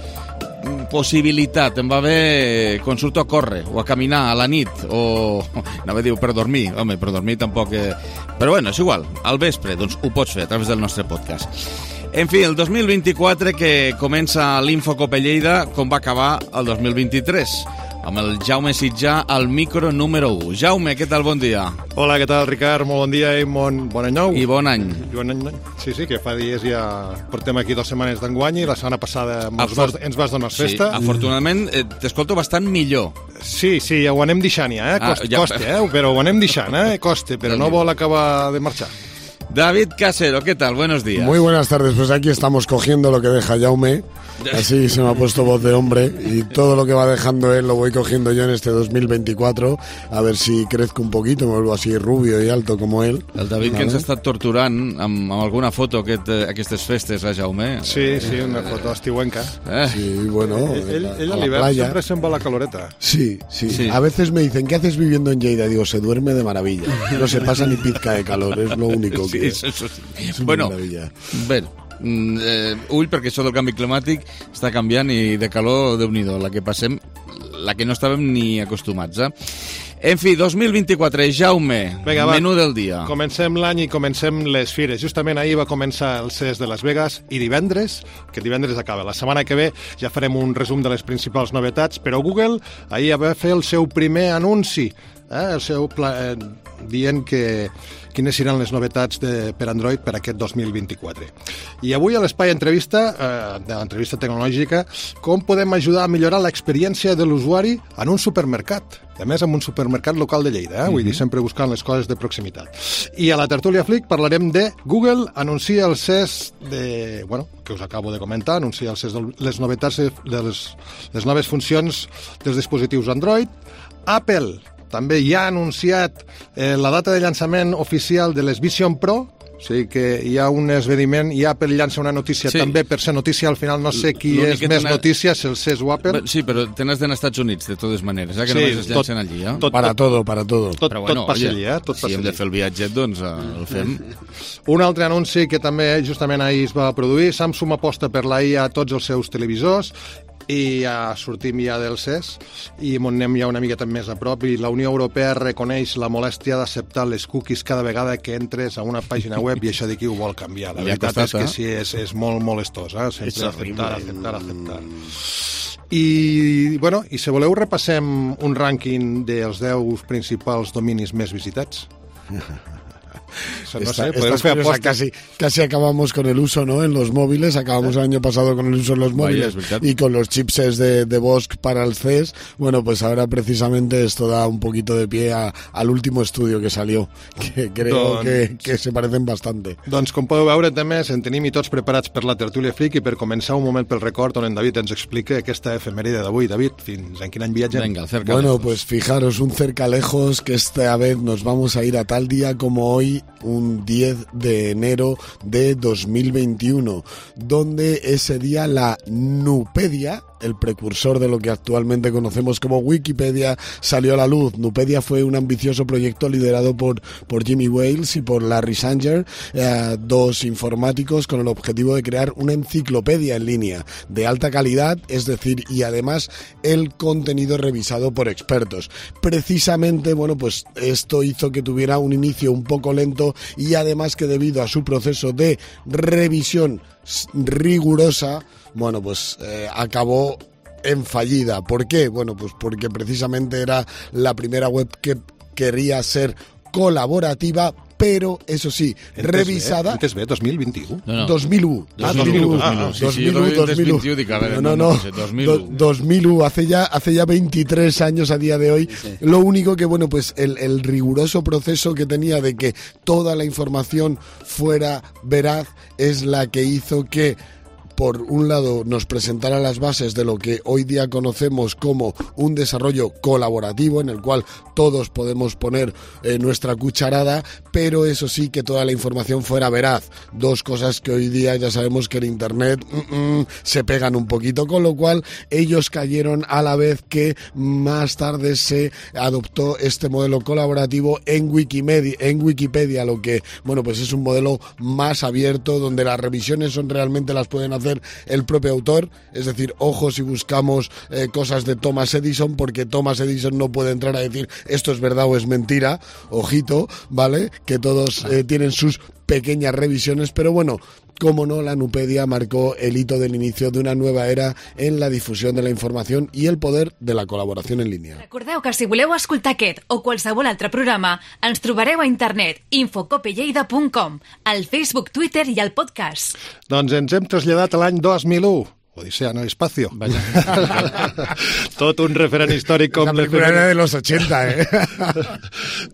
possibilitat, em va bé quan surto a córrer o a caminar a la nit o, anava a dir, per dormir, home, per dormir tampoc, eh... però bueno, és igual, al vespre, doncs ho pots fer a través del nostre podcast. En fi, el dos mil vint-i-quatre que comença l'Infocope Lleida, com va acabar el dos mil vint-i-tres, amb el Jaume Sitjà al micro número u. Jaume, què tal? Bon dia. Hola, què tal, Ricard? Molt bon dia i bon, bon any nou. I bon any. I bon any. Sí, sí, que fa dies ja portem aquí dues setmanes d'enguany i la setmana passada ens vas, ens vas donar festa. Sí, afortunadament eh, t'escolto bastant millor. Sí, sí, ja ho anem deixant ja, eh? Costa, ah, ja. costa eh? Però ho anem deixant, eh? Costa, però no vol acabar de marxar. David Casero, ¿qué tal? Buenos días. Muy buenas tardes, pues aquí estamos cogiendo lo que deja Jaume, así se me ha puesto voz de hombre, y todo lo que va dejando él lo voy cogiendo yo en este dos mil veinticuatro, a ver si crezco un poquito, me vuelvo así rubio y alto como él. El David, ¿vale? Que ens ha estat torturant amb, amb alguna foto aquest, aquestes festes, eh, Jaume? Sí, sí, una foto estiuenca. Eh? Sí, bueno, ell, ell a l'hivern sempre se'n va a la caloreta. Sí, sí, sí, a veces me dicen, ¿qué haces viviendo en Lleida? Digo, se duerme de maravilla, no se pasa ni pizca de calor, es lo único que... Sí, eso sí. És bueno, bé, eh, ull, perquè això del canvi climàtic està canviant i de calor, Déu-n'hi-do, la que passem, la que no estàvem ni acostumats, eh? En fi, dos mil vint-i-quatre, Jaume, Venga, menú va, del dia. Comencem l'any i comencem les fires. Justament ahir va començar el C E S de Las Vegas i divendres, que divendres acaba. La setmana que ve ja farem un resum de les principals novetats, però Google ahir va fer el seu primer anunci, eh, el seu pla, eh, dient que, quines seran les novetats de, per Android per aquest dos mil vint-i-quatre. I avui a l'Espai Entrevista, eh, de l'entrevista tecnològica, com podem ajudar a millorar l'experiència de l'usuari en un supermercat. A més, en un supermercat local de Lleida, eh? Vull dir, sempre buscant les coses de proximitat. I a la tertúlia Flick parlarem de Google anuncia el C E S de... Bueno, que us acabo de comentar, anuncia el C E S de les novetats de les, les noves funcions dels dispositius Android. Apple també ja ha anunciat eh, la data de llançament oficial de les Vision Pro, o sigui que hi ha un esdeveniment i Apple llança una notícia sí. també per ser notícia, al final no sé qui és més tenen... notícia, si el C E S o Apple. Sí, però tens d'anar als Estats Units, de totes maneres, eh? que sí, només es llancen allí. Eh? Tot, para tot, todo, para todo. Tot, però bueno, tot passa oye, allí, eh? Tot si hem allí. de fer el viatget, doncs eh, el fem. Un altre anunci que també justament ahir es va produir, Samsung aposta per la I A a tots els seus televisors, i ja sortim ja del C E S i m'on anem ja una miqueta més a prop, i la Unió Europea reconeix la molèstia d'acceptar les cookies cada vegada que entres a una pàgina web, i això de qui ho vol canviar. La ja veritat costat, és que eh? sí, és, és molt molestós, eh? Sempre acceptar, acceptar, acceptar. I, bueno, i si voleu repassem un rànquing dels deu principals dominis més visitats. No Esta, sé, podemos hacer apuestas. Casi, casi acabamos con el uso, ¿no? En los móviles, acabamos el año pasado con el uso en los móviles Vaya, y con los chipsets de, de Bosch para el C E S. Bueno, pues ahora precisamente esto da un poquito de pie a, al último estudio que salió, que creo doncs, que, que se parecen bastante. Doncs com podeu veure també, en tenim i tots preparats per la tertúlia Flick, i per començar un moment pel record on en David ens explica aquesta efemèride d'avui. David, fins en quin any viatgem? Venga, cerca bueno, lejos. Pues fijaros, un cerca lejos, que esta vez nos vamos a ir a tal día como hoy, un diez de enero de dos mil veintiuno, donde ese día la Nupedia, el precursor de lo que actualmente conocemos como Wikipedia, salió a la luz. Nupedia fue un ambicioso proyecto liderado por, por Jimmy Wales y por Larry Sanger, eh, dos informáticos, con el objetivo de crear una enciclopedia en línea de alta calidad, es decir, y además el contenido revisado por expertos. Precisamente, bueno, pues esto hizo que tuviera un inicio un poco lento, y además que debido a su proceso de revisión rigurosa, bueno, pues eh, acabó en fallida. ¿Por qué? Bueno, pues porque precisamente era la primera web que quería ser colaborativa, pero eso sí, revisada... Antes ve, dos mil veintiuno. No, no. dos mil uno. Ah, dos mil uno. Ah, sí, dos mil uno, sí, dos mil uno. No, no, no. dos mil uno. dos mil uno, hace ya, hace ya veintitrés años a día de hoy. Sí. Lo único que, bueno, pues el, el riguroso proceso que tenía de que toda la información fuera veraz es la que hizo que, por un lado, nos presentara las bases de lo que hoy día conocemos como un desarrollo colaborativo, en el cual todos podemos poner eh, nuestra cucharada, pero eso sí, que toda la información fuera veraz. Dos cosas que hoy día ya sabemos que en Internet mm, mm, se pegan un poquito, con lo cual ellos cayeron a la vez que más tarde se adoptó este modelo colaborativo en Wikimedia, en Wikipedia, lo que, bueno, pues es un modelo más abierto, donde las revisiones son realmente las pueden hacer el propio autor. Es decir, ojo si buscamos eh, cosas de Thomas Edison, porque Thomas Edison no puede entrar a decir esto es verdad o es mentira, ojito, ¿vale? Que todos eh, tienen sus pequeñas revisiones, pero bueno, como no, la Nupedia marcó el hito del inicio de una nueva era en la difusión de la información i el poder de la col·laboració en línia. Recordeu que si voleu escoltar aquest o qualsevol altre programa, ens trobareu a internet infocopelleida punt com, al Facebook, Twitter i al podcast. Doncs ens hem traslladat a l'any dos mil u. Odisea, no espacio. Vaya. Tot un referent històric com... La pel·lícula era de los ochenta, eh?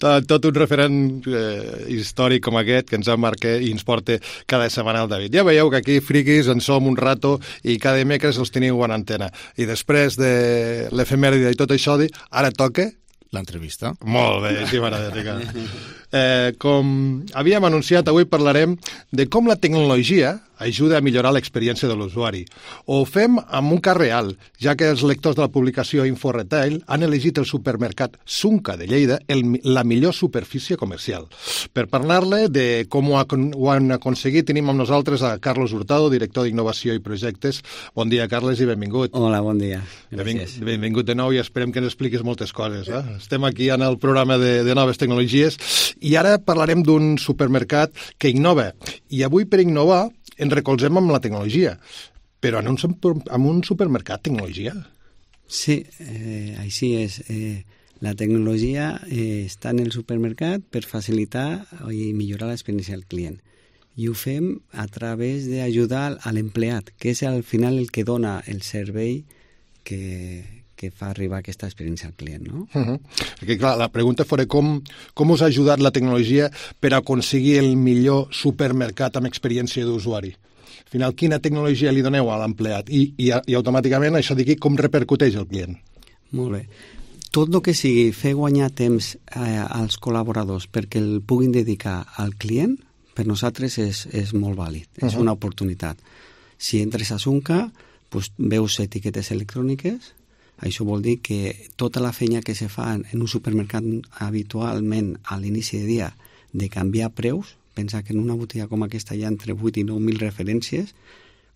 tot, tot un referent eh, històric com aquest que ens ha marcat i ens porta cada setmana el David. Ja veieu que aquí, friquis, en som un rato i cada dimecres els teniu en antena. I després de l'efemèride i tot això, ara toca... L'entrevista. Molt bé, sí, m'agrada. Eh, com havíem anunciat, avui parlarem de com la tecnologia ajuda a millorar l'experiència de l'usuari. Ho fem amb un cas real, ja que els lectors de la publicació InfoRetail han elegit el supermercat Sunca de Lleida el, la millor superfície comercial. Per parlar-ne de com ho, ha, ho han aconseguit, tenim amb nosaltres a Carlos Hurtado, director d'Innovació i Projectes. Bon dia, Carles, i benvingut. Hola, bon dia. Gràcies. Benvingut de nou i esperem que ens expliquis moltes coses. Eh? Estem aquí en el programa de, de noves tecnologies i ara parlarem d'un supermercat que innova. I avui, per innovar, ens recolzem amb la tecnologia. Però en un, en un supermercat, tecnologia? Sí, eh, així és. Eh, La tecnologia eh, està en el supermercat per facilitar i millorar l'experiència del client. I ho fem a través d'ajudar a l'empleat, que és al final el que dona el servei que, que fa arribar aquesta experiència al client, no? Uh -huh. Perquè, clar, la pregunta fora com, com us ha ajudat la tecnologia per aconseguir el millor supermercat amb experiència d'usuari. Al final, quina tecnologia li doneu a l'empleat? I, i, i automàticament això d'aquí com repercuteix el client? Molt bé. Tot el que sigui fer guanyar temps eh, als col·laboradors perquè el puguin dedicar al client, per nosaltres és, és molt vàlid, és uh -huh. una oportunitat. Si entres a Sunca, pues, veus etiquetes electròniques, això vol dir que tota la feina que se fa en un supermercat habitualment a l'inici de dia de canviar preus, pensa que en una botiga com aquesta hi ha entre vuit i nou mil referències,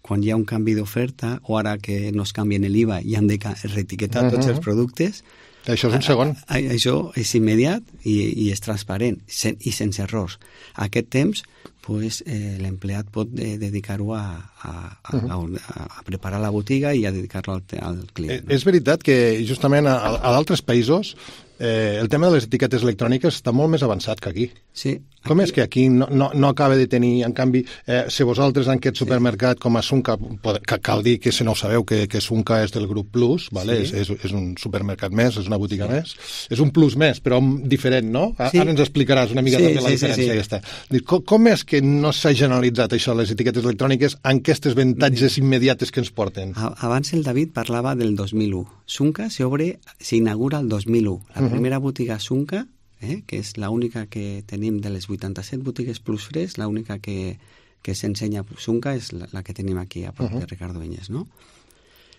quan hi ha un canvi d'oferta, o ara que no es canvien l'I V A i han de reetiquetar uh -huh. tots els productes, això és un segon. A, a, això és immediat i, i és transparent sen, i sense errors. A aquest temps, pues, eh, l'empleat pot eh, dedicar-ho a, a, a, a, a preparar la botiga i a dedicar-lo al, al client. Eh, no? És veritat que justament a, a d'altres països eh, el tema de les etiquetes electròniques està molt més avançat que aquí. Sí. Com és que aquí no, no, no acaba de tenir, en canvi, eh, si vosaltres en aquest supermercat com a Sunca, que cal dir que si no ho sabeu que, que Sunca és del grup Plus, vale? Sí. és, és, és un supermercat més, és una botiga sí. més, és un plus més, però diferent, no? Sí. Ara ens explicaràs una mica sí, també la sí, diferència sí, sí. aquesta. Com, com és que no s'ha generalitzat això, les etiquetes electròniques, en aquestes avantatges sí. immediates que ens porten? Abans el David parlava del dos mil u. Sunca s'inaugura el dos mil u. La uh -huh. primera botiga Sunca, eh, que és l'única que tenim de les vuitanta-set botigues Plus Fresh, l'única que, que s'ensenya Sunca és la, la que tenim aquí a prop uh -huh. de Ricardo Enyes, no?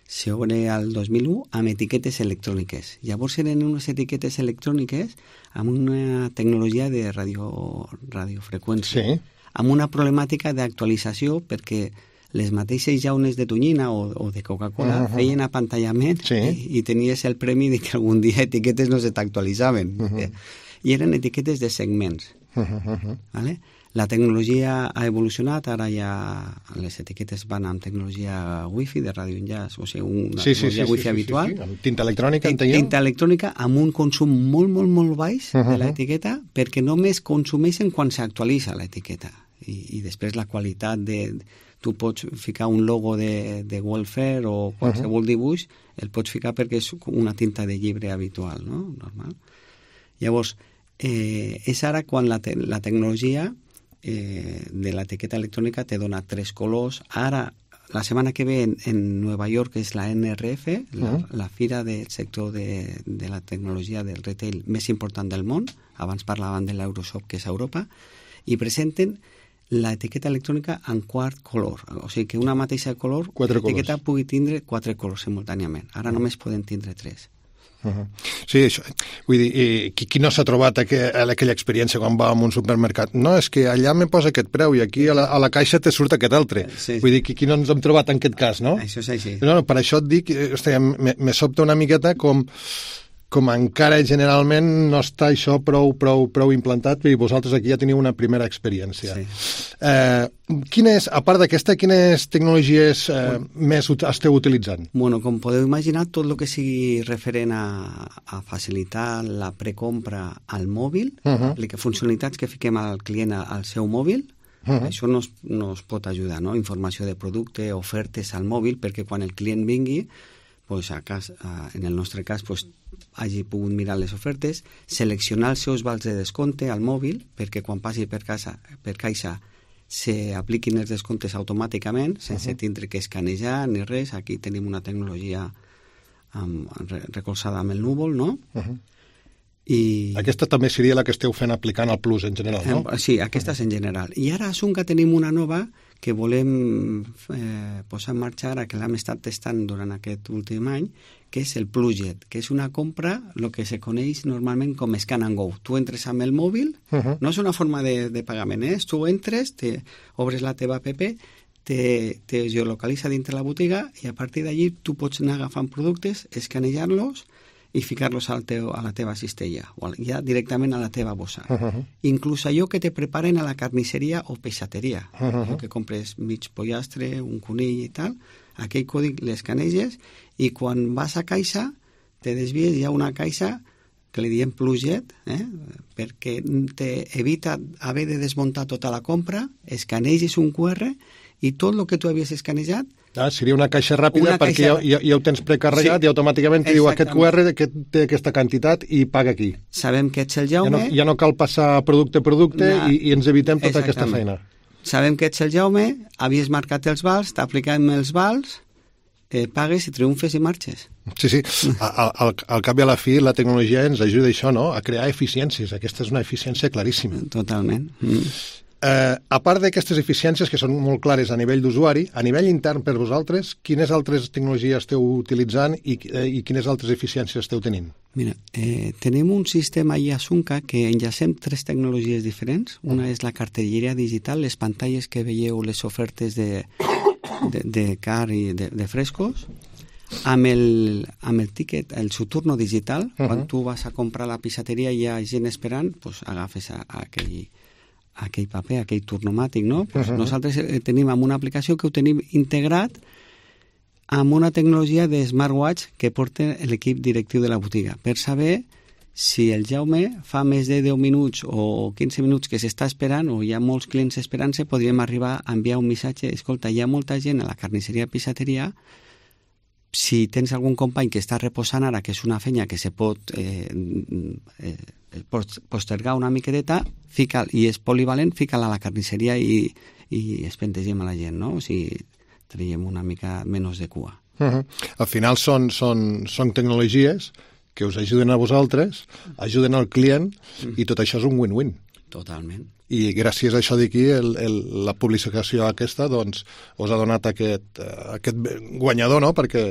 S'obre el dos mil u amb etiquetes electròniques. Llavors eren unes etiquetes electròniques amb una tecnologia de radio, radiofreqüència, sí. amb una problemàtica d'actualització perquè les mateixes llaunes de tonyina o, o de Coca-Cola uh -huh. feien apantallament sí. i, i tenies el premi de que algun dia etiquetes no se t'actualitzaven. Uh -huh. eh? I eren etiquetes de segments. Uh -huh. ¿Vale? La tecnologia ha evolucionat, ara ja les etiquetes van amb tecnologia wifi de radioenllaç, o sigui, una sí, tecnologia sí, sí, wifi sí, habitual. Sí, sí, sí. Amb tinta electrònica, enteneu? Tinta electrònica amb un consum molt, molt, molt baix uh -huh. de l'etiqueta, perquè només consumeixen quan s'actualitza l'etiqueta. I, I després la qualitat de... Tu pots ficar un logo de, de welfare o qualsevol uh -huh. dibuix, el pots ficar perquè és una tinta de llibre habitual, no? Normal. Llavors, eh, és ara quan la, te la tecnologia eh, de l'etiqueta electrònica te dona tres colors. Ara, la setmana que ve en, en Nova York és la N R F, la, uh -huh. la fira del sector de, de la tecnologia del retail més important del món. Abans parlaven de l'Euroshop, que és a Europa, i presenten l'etiqueta electrònica en quart color. O sigui que una mateixa color, l'etiqueta pugui tindre quatre colors simultàniament. Ara només poden tindre tres. Uh -huh. Sí, això, vull dir, i, qui, qui no s'ha trobat aqu aquella experiència quan va a un supermercat? No, és que allà me posa aquest preu i aquí a la, a la caixa te surt aquest altre. Sí, vull dir, qui, qui no ens hem trobat en aquest cas, no? Això és així. No, no, per això et dic, hòstia, me, me sobta una miqueta com... com encara generalment no està això prou, prou, prou implantat, i vosaltres aquí ja teniu una primera experiència. Sí. Eh, quina és, a part d'aquesta, quines tecnologies eh, bueno, més esteu utilitzant? Bueno, com podeu imaginar, tot el que sigui referent a, a facilitar la precompra al mòbil, uh -huh. funcionalitats que fiquem al client al seu mòbil, uh -huh. això nos, nos pot ajudar, no? Informació de producte, ofertes al mòbil, perquè quan el client vingui, pues a cas, a, en el nostre cas, pues, hagi pogut mirar les ofertes, seleccionar els seus vals de descompte al mòbil, perquè quan passi per, casa, per caixa s'apliquin els descomptes automàticament, sense uh -huh. tindre que escanejar ni res. Aquí tenim una tecnologia um, recolzada amb el núvol, no? Uh -huh. I... Aquesta també seria la que esteu fent aplicant al Plus en general, no? Sí, aquesta és en general. I ara a Sunca tenim una nova que volem eh, posar en marxa ara, que l'hem estat testant durant aquest últim any, que és el Pluget, que és una compra, el que se coneix normalment com Scan and Go. Tu entres amb el mòbil, uh -huh. no és una forma de, de pagament, eh? Tu entres, te obres la teva app, te, te geolocalitza dintre la botiga i a partir d'allí tu pots anar agafant productes, escanejar-los i ficar-los al teu, a la teva cistella o ja directament a la teva bossa. Uh -huh. Inclús allò que te preparen a la carnisseria o peixateria, uh -huh. que compres mig pollastre, un conill i tal, aquell còdic l'escaneges i quan vas a caixa te desvies, hi ha una caixa que li diem pluget, eh? perquè t'evita haver de desmuntar tota la compra, escaneges un cu erre i tot el que tu havies escanejat. Ah, seria una caixa ràpida una perquè caixa... Ja, ja, ja ho tens precarregat, sí, i automàticament te diu aquest cu erre que té aquesta quantitat i paga aquí. Sabem que ets el Jaume... Ja no, ja no cal passar producte a producte no. i, i ens evitem tota aquesta feina. Sabem que ets el Jaume, havies marcat els vals, t'apliquem els vals, eh, pagues i triomfes i marxes. Sí, sí. Al, al, al cap i a la fi la tecnologia ens ajuda això, no?, a crear eficiències. Aquesta és una eficiència claríssima. Totalment. Mm. Eh, a part d'aquestes eficiències que són molt clares a nivell d'usuari, a nivell intern per vosaltres, quines altres tecnologies esteu utilitzant i, eh, i quines altres eficiències esteu tenint? Mira, eh, tenim un sistema a Sunca que enllacem tres tecnologies diferents. Una és la cartelleria digital, les pantalles que veieu, les ofertes de, de, de car i de, de frescos, amb el, amb el tiquet, el Suturno digital. Uh-huh. Quan tu vas a comprar la pixateria i hi ha gent esperant, pues agafes a, a aquell aquell paper, aquell turnomàtic, no? Pues uh-huh. Nosaltres tenim amb una aplicació que ho tenim integrat amb una tecnologia de smartwatch que porta l'equip directiu de la botiga per saber si el Jaume fa més de deu minuts o quinze minuts que s'està esperant o hi ha molts clients esperant-se, podríem arribar a enviar un missatge, escolta, hi ha molta gent a la carnisseria Pixateria, si tens algun company que està reposant ara, que és una feina que se pot eh, eh, postergar una miqueteta, fica, i és polivalent, fica-la a la carnisseria i, i espentegem a la gent, no? O sigui, traiem una mica menys de cua. Uh-huh. Al final són, són, són tecnologies que us ajuden a vosaltres, ajuden al client, uh-huh. i tot això és un win-win. Totalment. I gràcies a això d'aquí, el, el, la publicació aquesta, doncs, us ha donat aquest, aquest guanyador, no?, perquè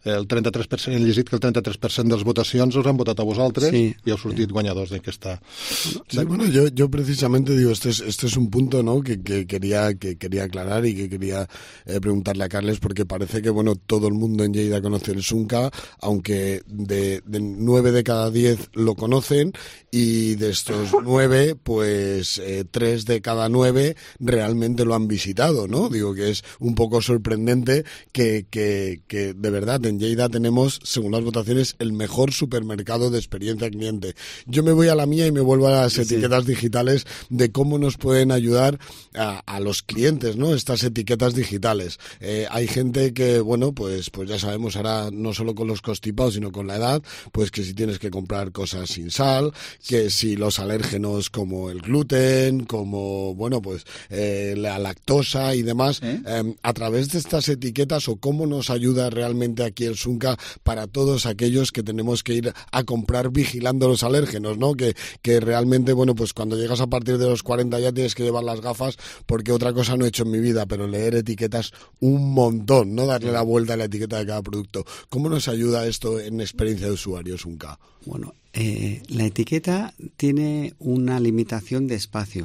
el trenta-tres per cent, he llegit que el trenta-tres per cent de les votacions us han votat a vosaltres, sí, i heu sortit sí. guanyadors d'aquesta... Sí, bueno, yo, yo precisamente digo, este es, este es un punto, ¿no?, que, que, quería, que quería aclarar y que quería eh, preguntarle a Carles, porque parece que, bueno, todo el mundo en Lleida conoce el Sunca, aunque de, de nueve de cada diez lo conocen, y de estos nueve, pues... Eh, tres de cada nueve realmente lo han visitado, ¿no? Digo que es un poco sorprendente que, que, que de verdad en Lleida tenemos, según las votaciones, el mejor supermercado de experiencia cliente. Yo me voy a la mía y me vuelvo a las sí. etiquetas digitales de cómo nos pueden ayudar a, a los clientes, ¿no? Estas etiquetas digitales. Eh, hay gente que, bueno, pues, pues ya sabemos ahora no solo con los constipados, sino con la edad, pues que si tienes que comprar cosas sin sal, que si los alérgenos como el gluten, como, bueno, pues eh, la lactosa y demás, ¿Eh? Eh, a través de estas etiquetas, o cómo nos ayuda realmente aquí el Sunca para todos aquellos que tenemos que ir a comprar vigilando los alérgenos, ¿no? Que, que realmente, bueno, pues cuando llegas a partir de los cuarenta ya tienes que llevar las gafas, porque otra cosa no he hecho en mi vida, pero leer etiquetas un montón, ¿no? Darle la vuelta a la etiqueta de cada producto. ¿Cómo nos ayuda esto en experiencia de usuario, Sunca? Bueno, eh, la etiqueta tiene una limitación de espacio.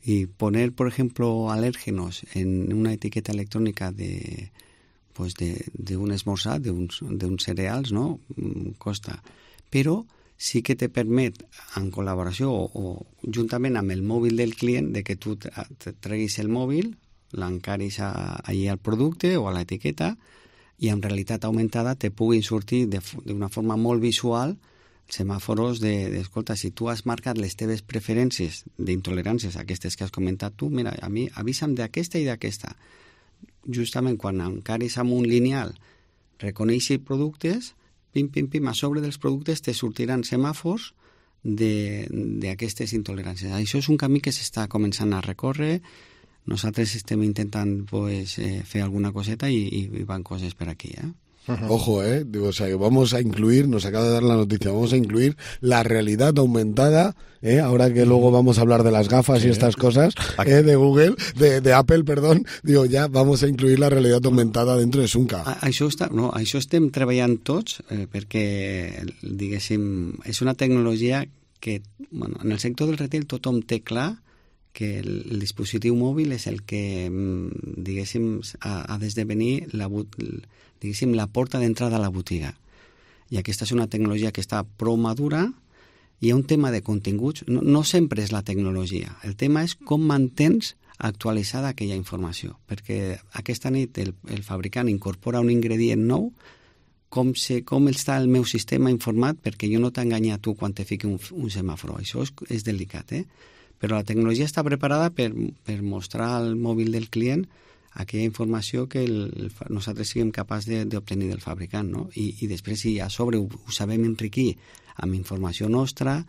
Y poner, por ejemplo, alérgenos en una etiqueta electrónica de, pues de, de un esmorzar, de un, de un cereals, no? Costa. Però sí que te permet, en col·laboració o, o juntament amb el mòbil del client, de que tu treguis el mòbil, l'encaris allà al producte o a l'etiqueta, i en realitat augmentada te puguin sortir d'una forma molt visual semàforos de, de, escolta, si tu has marcat les teves preferències d'intoleràncies, aquestes que has comentat tu, mira, a mi avisa'm d'aquesta i d'aquesta. Justament quan encaris amb un lineal reconeixi productes, pim, pim, pim, a sobre dels productes te sortiran semàfors d'aquestes intoleràncies. Això és un camí que s'està començant a recórrer. Nosaltres estem intentant pues, eh, fer alguna coseta i, i van coses per aquí, eh? Ojo, eh, digo, o sea, que vamos a incluir, nos acaba de dar la noticia, vamos a incluir la realidad aumentada, eh, ahora que luego vamos a hablar de las gafas sí. y estas cosas, eh, de Google, de, de Apple, perdón, digo, ya vamos a incluir la realidad aumentada dentro de Sunca. A, això, està, no, això estem treballant tots, eh, perquè, diguéssim, és una tecnologia que, bueno, en el sector del retail tothom té clar que el, el dispositiu mòbil és el que, diguéssim, ha, ha d'esdevenir la, diguéssim, la porta d'entrada a la botiga. I aquesta és una tecnologia que està prou madura. Hi ha un tema de continguts. No, no sempre és la tecnologia. El tema és com mantens actualitzada aquella informació. Perquè aquesta nit el, el fabricant incorpora un ingredient nou, com, se, com està el meu sistema informat perquè jo no t'enganya a tu quan te fiqui un, un semàfor. Això és, és delicat, eh? Però la tecnologia està preparada per, per mostrar al mòbil del client aquella informació que el, el, nosaltres siguem capaços d'obtenir del fabricant, no? I, i després, si a sobre ho, ho sabem enriquir amb informació nostra,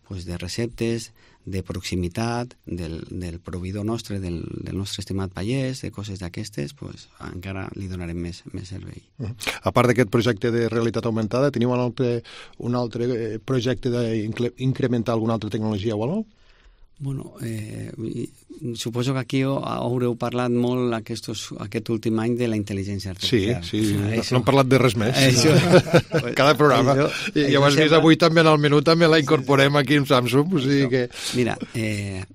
pues de receptes, de proximitat, del, del proveïdor nostre, del, del nostre estimat pagès, de coses d'aquestes, pues, encara li donarem més, més servei. Uh -huh. A part d'aquest projecte de realitat augmentada, teniu un altre, un altre projecte d'incrementar alguna altra tecnologia o alguna cosa? Bueno, eh, suposo que aquí haureu parlat molt aquestos, aquest últim any de la intel·ligència artificial. Sí, sí, ah, no, no hem parlat de res més. Això, cada programa. Això, I ja ho has vist avui també en el menú, també la incorporem aquí en Samsung. O sigui que... Mira, eh,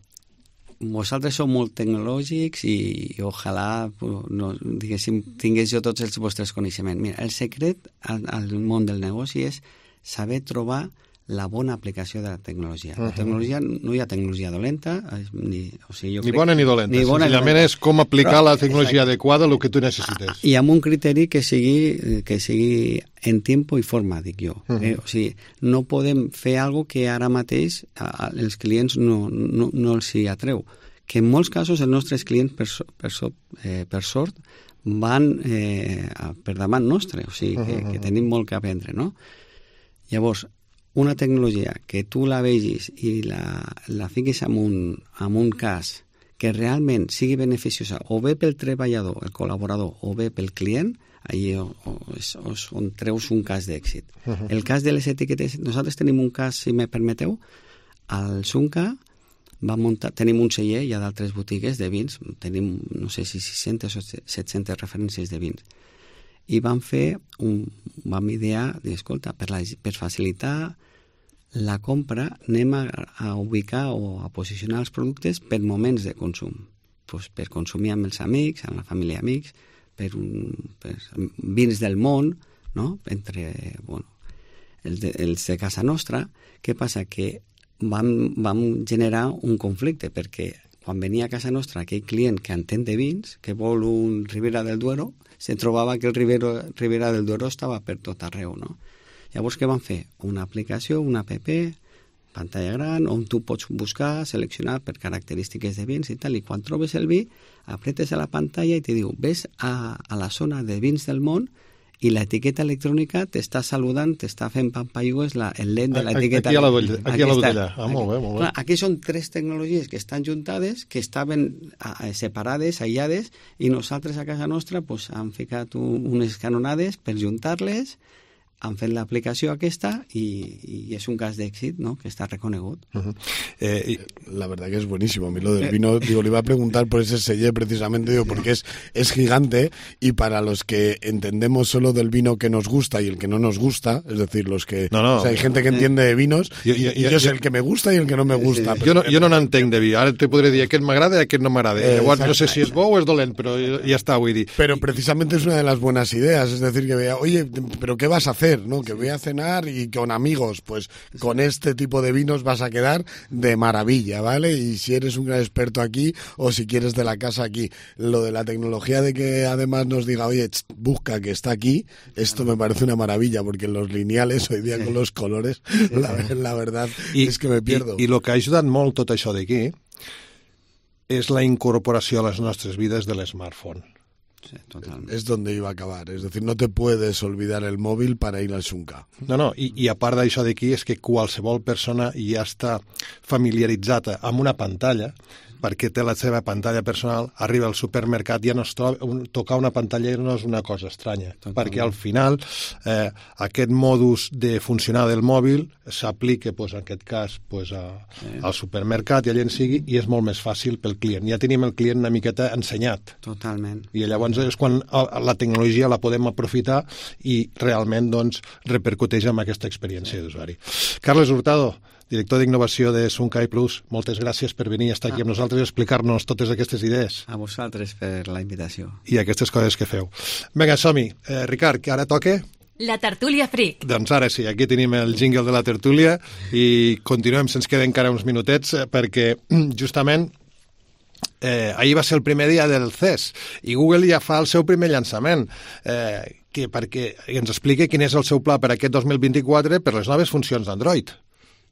vosaltres sou molt tecnològics i, i ojalà no, diguéssim, tingués jo tots els vostres coneixements. Mira, el secret al, al món del negoci és saber trobar la bona aplicació de la tecnologia. La tecnologia, no hi ha tecnologia dolenta, ni, o sigui, jo ni bona ni dolenta. Ni bona, senzillament és com aplicar Però, la tecnologia exacte. adequada a lo que tu necessites. I amb un criteri que sigui, que sigui en tempo i forma, dic jo. Uh -huh. eh? O sigui, no podem fer alguna que ara mateix a, els clients no, no, no els hi atreu. Que en molts casos els nostres clients, per, so, per, so, eh, per sort, van eh, per davant nostre, o sigui, que, uh -huh. que tenim molt que aprendre, no? Llavors, una tecnologia que tu la vegis i la, la fiquis en un, en un cas que realment sigui beneficiosa o bé pel treballador, el col·laborador, o bé pel client, allà o, o, o, on treus un cas d'èxit. Uh-huh. El cas de les etiquetes, nosaltres tenim un cas, si me permeteu, al Sunca va muntar, tenim un celler, hi ha d'altres botigues de vins, tenim, no sé si sis-centes o set-centes referències de vins, i vam fer, un, vam idear, escolta, per, la, per facilitar la compra, anem a, a ubicar o a posicionar els productes per moments de consum. Pues per consumir amb els amics, amb la família amics, per, un, per vins del món, no? Entre, bueno, els de, els de casa nostra. Què passa? Que vam, vam generar un conflicte, perquè quan venia a casa nostra aquell client que entén de vins, que vol un Ribera del Duero, se trobava que el Ribera, Ribera del Duero estava per tot arreu, no? Llavors, què van fer? Una aplicació, una app, pantalla gran, on tu pots buscar, seleccionar per característiques de vins i tal, i quan trobes el vi, apretes a la pantalla i te diu, ves a, a la zona de vins del món i l'etiqueta electrònica t'està saludant, t'està fent pampallugues la, el lent de l'etiqueta. Aquí a la botella. Aquí a la botella. Ah, molt bé, molt bé. Clar, aquí són tres tecnologies que estan juntades, que estaven a, a, separades, aïllades, i nosaltres a casa nostra pues, hem ficat un, unes canonades per juntar-les, han fet l'aplicació aquesta y, y es un cas d'èxit, ¿no? Que está reconegut. Uh-huh. eh, la verdad que es buenísimo. A mí lo del vino, digo, le iba a preguntar por ese sellé precisamente, digo, porque es, es gigante y para los que entendemos solo del vino que nos gusta y el que no nos gusta, es decir, los que... No, no. O sea, hay gente que entiende de vinos yo, yo, y yo, yo sé el que me gusta y el que no me gusta. Sí, sí. Jo no, jo no n'entenc de vi. Ara te podré dir aquest m'agrada i aquest no m'agrada. Eh, Llavors no sé si és bo o és dolent, però ja està, vull dir. Pero precisamente es una de las buenas ideas, es decir, que vea, oye, pero ¿qué vas a hacer? ¿No? Que voy a cenar y con amigos, pues con este tipo de vinos vas a quedar de maravilla, ¿vale? Y si eres un gran experto aquí o si quieres de la casa aquí. Lo de la tecnología de que además nos diga, oye, tss, busca que está aquí, esto me parece una maravilla, porque en los lineales hoy día sí. con los colores, sí, la, sí. la verdad I, es que me pierdo. I el que ha ajudat molt tot això d'aquí és la incorporació a les nostres vides de l'smartphone. Sí, totalment. Es donde iba a acabar. Es decir, no te puedes olvidar el móvil para ir al Sunca. No, no, i, i a part d'això d'aquí és que qualsevol persona ja està familiaritzada amb una pantalla perquè té la seva pantalla personal, arriba al supermercat, ja no es troba, un, tocar una pantalla no és una cosa estranya, totalment. Perquè al final eh, aquest modus de funcionar del mòbil s'aplica, pues, en aquest cas, pues, a, sí. al supermercat i allà en sigui, i és molt més fàcil pel client. Ja tenim el client una miqueta ensenyat. Totalment. I llavors és quan la tecnologia la podem aprofitar i realment doncs, repercuteix en aquesta experiència d'usuari. Carles Hurtado, director d'innovació de Sunkai Plus, moltes gràcies per venir a estar aquí amb nosaltres i explicar-nos totes aquestes idees. A vosaltres per la invitació. I aquestes coses que feu. Vinga, som-hi. Eh, Ricard, que ara toca... La tertúlia Freak. Doncs ara sí, aquí tenim el jingle de la tertúlia i continuem, se'ns queden encara uns minutets perquè justament eh, ahir va ser el primer dia del C E S i Google ja fa el seu primer llançament. Eh, que perquè ens expliqui quin és el seu pla per aquest dos mil vint-i-quatre per les noves funcions d'Android.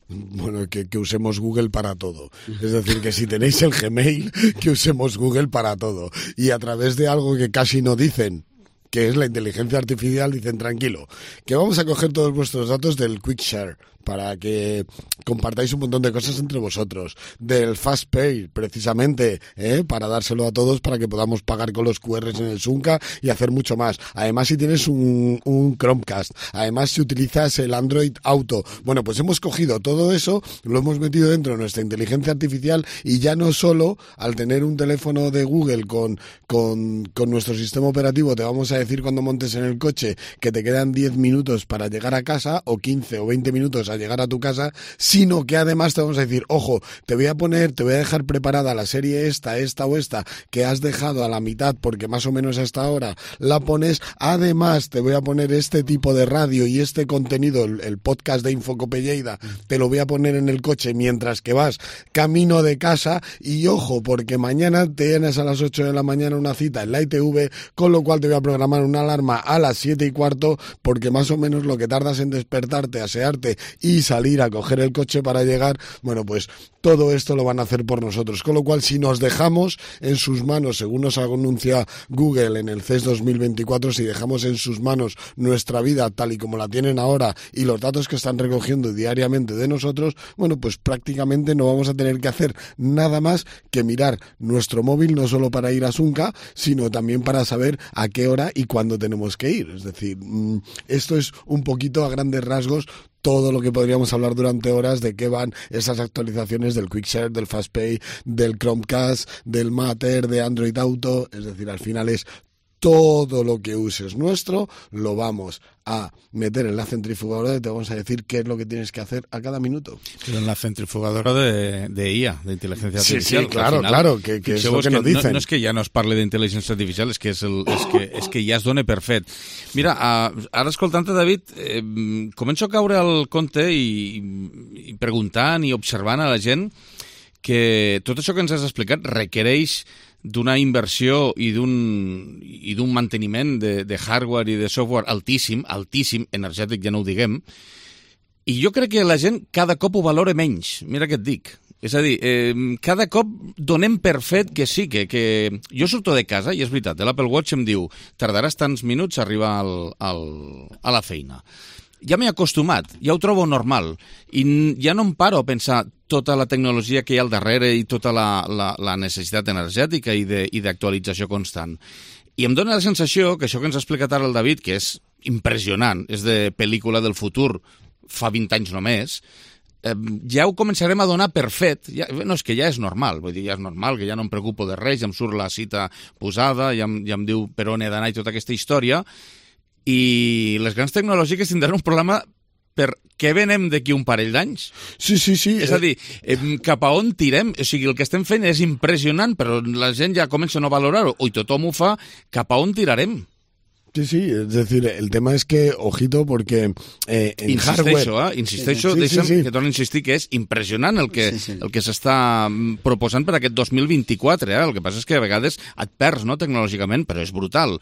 Bueno, que, que usemos Google para todo. Es decir, que si tenéis el Gmail, que usemos Google para todo. Y a través de algo que casi no dicen, que es la inteligencia artificial, dicen, tranquilo, que vamos a coger todos vuestros datos del Quick Share para que compartáis un montón de cosas entre vosotros, del Fast Pay, precisamente, ¿eh? para dárselo a todos para que podamos pagar con los cu erres en el Sunca y hacer mucho más. Además, si tienes un, un Chromecast, además si utilizas el Android Auto, bueno, pues hemos cogido todo eso, lo hemos metido dentro de nuestra inteligencia artificial y ya no solo al tener un teléfono de Google con, con, con nuestro sistema operativo te vamos a decir cuando montes en el coche que te quedan diez minutos para llegar a casa o quince o veinte minutos a llegar a tu casa, sino que además te vamos a decir, ojo, te voy a poner, te voy a dejar preparada la serie esta, esta o esta que has dejado a la mitad porque más o menos hasta ahora la pones, además te voy a poner este tipo de radio y este contenido, el, el podcast de Infocope Lleida, te lo voy a poner en el coche mientras que vas camino de casa y ojo, porque mañana tienes a las ocho de la mañana una cita en la I T V, con lo cual te voy a programar una alarma a las siete y cuarto porque más o menos lo que tardas en despertarte, asearte y salir a coger el coche para llegar, bueno, pues todo esto lo van a hacer por nosotros. Con lo cual, si nos dejamos en sus manos, según nos anuncia Google en el C E S dos mil veinticuatro, si dejamos en sus manos nuestra vida tal y como la tienen ahora y los datos que están recogiendo diariamente de nosotros, bueno, pues prácticamente no vamos a tener que hacer nada más que mirar nuestro móvil, no solo para ir a Sunca, sino también para saber a qué hora y cuándo tenemos que ir. Es decir, esto es un poquito a grandes rasgos todo lo que podríamos hablar durante horas de qué van esas actualizaciones del QuickShare, del FastPay, del Chromecast, del Matter, de Android Auto. Es decir, al final es todo lo que uses nuestro, lo vamos a meter en la centrifugadora y te vamos a decir qué es lo que tienes que hacer a cada minuto. Pero en la centrifugadora de, de I A, de inteligencia sí, artificial. Sí, claro, final, claro, que, que és el que, que nos dicen. No, no és que ja no es parli d'intel·ligència artificial, és que, és, el, és, que, és que ja es dona per fet. Mira, uh, ara escoltant-te, David, eh, començo a caure al compte i, i preguntant i observant a la gent que tot això que ens has explicat requereix d'una inversió i d'un i d'un manteniment de, de hardware i de software altíssim, altíssim, energètic ja no ho diguem, i jo crec que la gent cada cop ho valora menys, mira què et dic. És a dir, eh, cada cop donem per fet que sí, que, que... Jo surto de casa i és veritat, l'Apple Watch em diu tardaràs tants minuts a arribar al, al, a la feina. Ja m'he acostumat, ja ho trobo normal, i ja no em paro a pensar tota la tecnologia que hi ha al darrere i tota la, la, la necessitat energètica i d'actualització constant. I em dóna la sensació que això que ens ha explicat ara el David, que és impressionant, és de pel·lícula del futur, fa vint anys només, eh, ja ho començarem a donar per fet. Ja, no, és que ja és normal, vull dir, ja és normal, que ja no em preocupo de res, ja em surt la cita posada, ja em, ja em diu per on he d'anar i tota aquesta història, i les grans tecnològiques tindran un problema per què venem d'aquí un parell d'anys. Sí, sí, sí. És a dir, eh, cap a on tirem? O sigui, el que estem fent és impressionant, però la gent ja comença a no valorar-ho, i tothom ho fa, cap a on tirarem? Sí, sí, es decir, el tema es que, ojito, porque eh, en insisteixo, hardware... Eh? Insisteixo, sí, deixa'm sí, sí. que torno a insistir que és impressionant el que, Sí, sí. el que s'està proposant per aquest dos mil vint-i-quatre. Eh? El que passa és que a vegades et perds, no?, tecnològicament, però és brutal.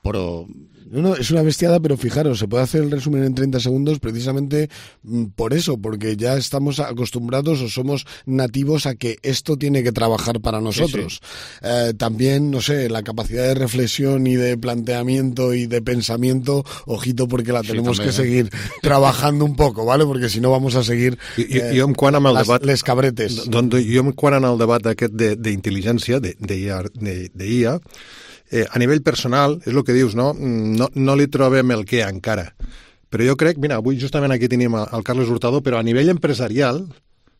Pero... No, no, es una bestiada, pero fijaros, se puede hacer el resumen en treinta segundos precisamente mm, por eso, porque ya estamos acostumbrados o somos nativos a que esto tiene que trabajar para nosotros. Sí, sí. Eh, también, no sé, la capacidad de reflexión y de planteamiento y de pensamiento, ojito, porque la tenemos sí, también, que eh? seguir trabajando un poco, ¿vale? Porque si no vamos a seguir eh, jo, jo em quan amb el les, debat, les cabretes. Doncs jo em quan en el debat aquest d'intel·ligència, d'I A, Eh, a nivell personal, és el que dius, no? No, no li trobem el què encara. Però jo crec, mira, avui justament aquí tenim el Carles Hurtado, però a nivell empresarial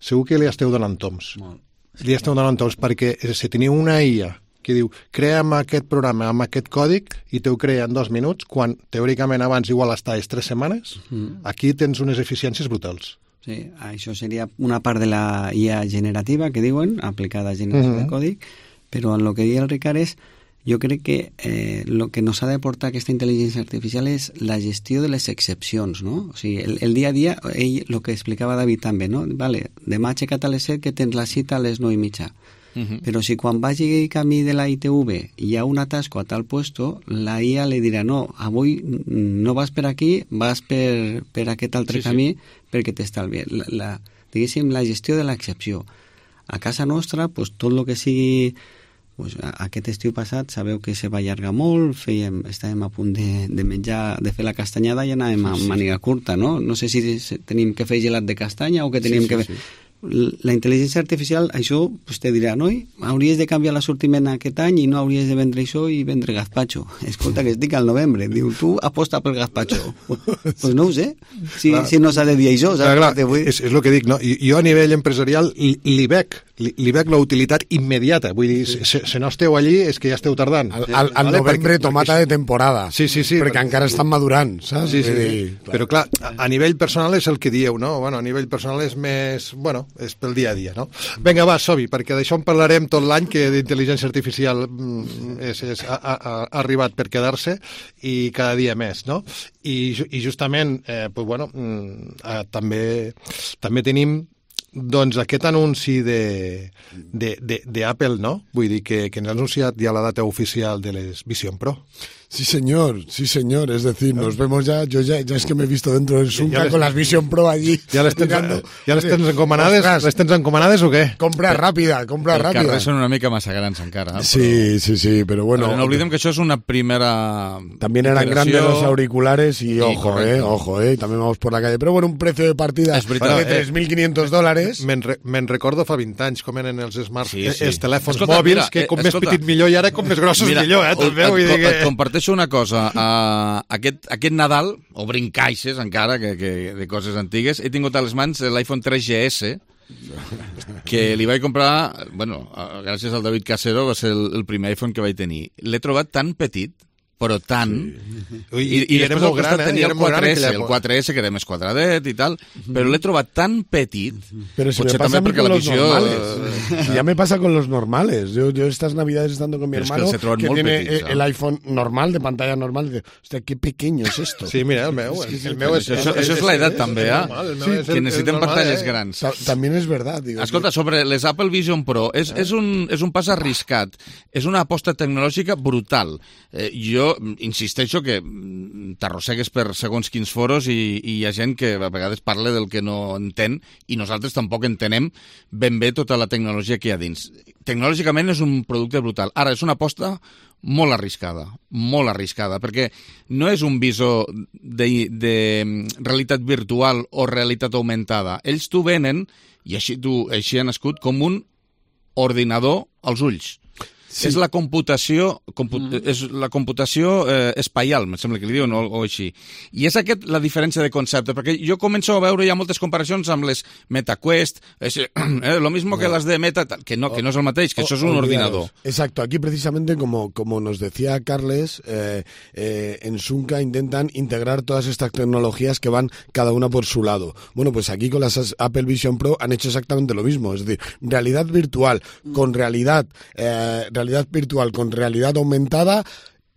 segur que li esteu donant toms. Molt. Li esteu donant toms perquè si teniu una I A que diu crea'm aquest programa amb aquest còdic i te ho crea en dos minuts, quan teòricament abans igual estaves tres setmanes, mm. aquí tens unes eficiències brutals. Sí, això seria una part de la I A generativa que diuen, aplicada a generació mm-hmm. de còdic, però en el que deia el Ricard és jo crec que eh, el que nos ha de portar aquesta intel·ligència artificial és la gestió de les excepcions, no? O sigui, el, el dia a dia, ell, el que explicava David també, no? Vale, demà aixecat a les set que tens la cita a les nou i mitja. Uh-huh. Pero si quan vagi camí de la I T V hi ha un atasco a tal puesto, la I A li dirà no, avui no vas per aquí, vas per, per aquest altre sí, camí sí. perquè t'estalvi. La, la, diguéssim, la gestió de l'excepció. A casa nostra, pues, tot el que sigui... Pues, aquest estiu passat sabeu que se va allargar molt, fèiem, estàvem a punt de, de menjar, de fer la castanyada i anàvem a màniga curta, no? No sé si tenim que fer gelat de castanya o que teníem sí, sí, que fer... Sí. La intel·ligència artificial, això pues, te dirà, noi, hauries de canviar l'assortiment aquest any i no hauries de vendre això i vendre gazpacho. Escolta, que estic al novembre. Diu, tu aposta pel gazpacho. Doncs pues no ho sé, si, si no s'ha de dir això. Clar, clar, és, és el que dic, no? Jo a nivell empresarial li veig, li veig la utilitat immediata. Vull dir, sí. si, si no esteu allí és que ja esteu tardant. Al, al, al vale? novembre perquè, tomata perquè... de temporada. Sí, sí, sí. Perquè, perquè encara estan madurant, saps? Sí, sí, sí. Clar. Però clar, a, a nivell personal és el que dieu, no? Bueno, a nivell personal és més... Bueno, és pel dia a dia, no? Vinga, va, som-hi, perquè d'això en parlarem tot l'any, que d'intel·ligència artificial és, és, ha, ha, ha arribat per quedar-se i cada dia més, no? I, i justament, eh, pues, bueno, eh, també, també tenim doncs aquest anunci de, de, de, de Apple, no? Vull dir que, que ens ha anunciat ja la data oficial de les Vision Pro. Sí, señor, sí, señor. Es decir, nos vemos ya. Yo ya, ya es que me he visto dentro del Zunca con las Vision Pro allí. ¿Ya les tens, ja les tens encomanades? Les tens encomanades o què? Compra ràpida, compra ràpida. Els carrers són una mica massa grans encara. Però... Sí, sí, sí, pero bueno. Pero no olvidem que això és una primera. También eran grandes los auriculares y ojo, eh, ojo, eh. También vamos por la calle. Pero bueno, un precio de partida de tres mil quinientos dólares. Me'n re, me recordo fa vint anys com eren els smarts, sí, sí. els telèfons escolta, mòbils, mira, que com eh, més escolta, petit millor, i ara com més grossos mira, millor, eh? També, vull dir que... Et comparteixo una cosa. Uh, aquest, aquest Nadal, obrint caixes encara, que, que de coses antigues, he tingut a les mans l'iPhone tres G S, que li vaig comprar, bueno, gràcies al David Casero, va ser el, el primer iPhone que vaig tenir. L'he trobat tan petit, però tant... Sí. I, I, i era molt gran, eh? Tenia el quatre S, el quatre S, que era més quadradet i tal, però l'he trobat tan petit, pero si potser també perquè la visió... Eh, ya me pasa con los normales. Yo, yo estas navidades estando con mi pero hermano, es que, que tiene petits, el iPhone normal, de pantalla normal, dice, hostia, qué pequeño es esto. Sí, mira, el meu. El, el meu és, això, és, això és l'edat també, eh? Sí, que necessiten pantalles eh? grans. També és veritat. Digo, escolta, sobre les Apple Vision Pro, és, és, un, és un pas arriscat, és una aposta tecnològica brutal. Eh, jo insisteixo que t'arrossegues per segons quins foros i, i hi ha gent que a vegades parla del que no entén i nosaltres tampoc entenem ben bé tota la tecnologia que hi ha dins. Tecnològicament és un producte brutal. Ara, és una aposta molt arriscada, molt arriscada, perquè no és un visor de, de realitat virtual o realitat augmentada. Ells t'ho venen, i així, tu, així ha nascut, com un ordinador als ulls. Sí. És la computació, compu mm. és la computació eh, espaial, em sembla que li diuen, o, o així. I és aquest la diferència de concepte, perquè jo començo a veure ja moltes comparacions amb les MetaQuest, es, eh, lo mismo que las de Meta, que no, que no és el mateix, que o, això és un ordinador. Exacto, aquí precisamente como, como nos decía Carles, eh, eh, en Zunca intentan integrar todas estas tecnologías que van cada una por su lado. Bueno, pues aquí con las Apple Vision Pro han hecho exactamente lo mismo, es decir, realidad virtual con realidad eh, realidad virtual con realidad aumentada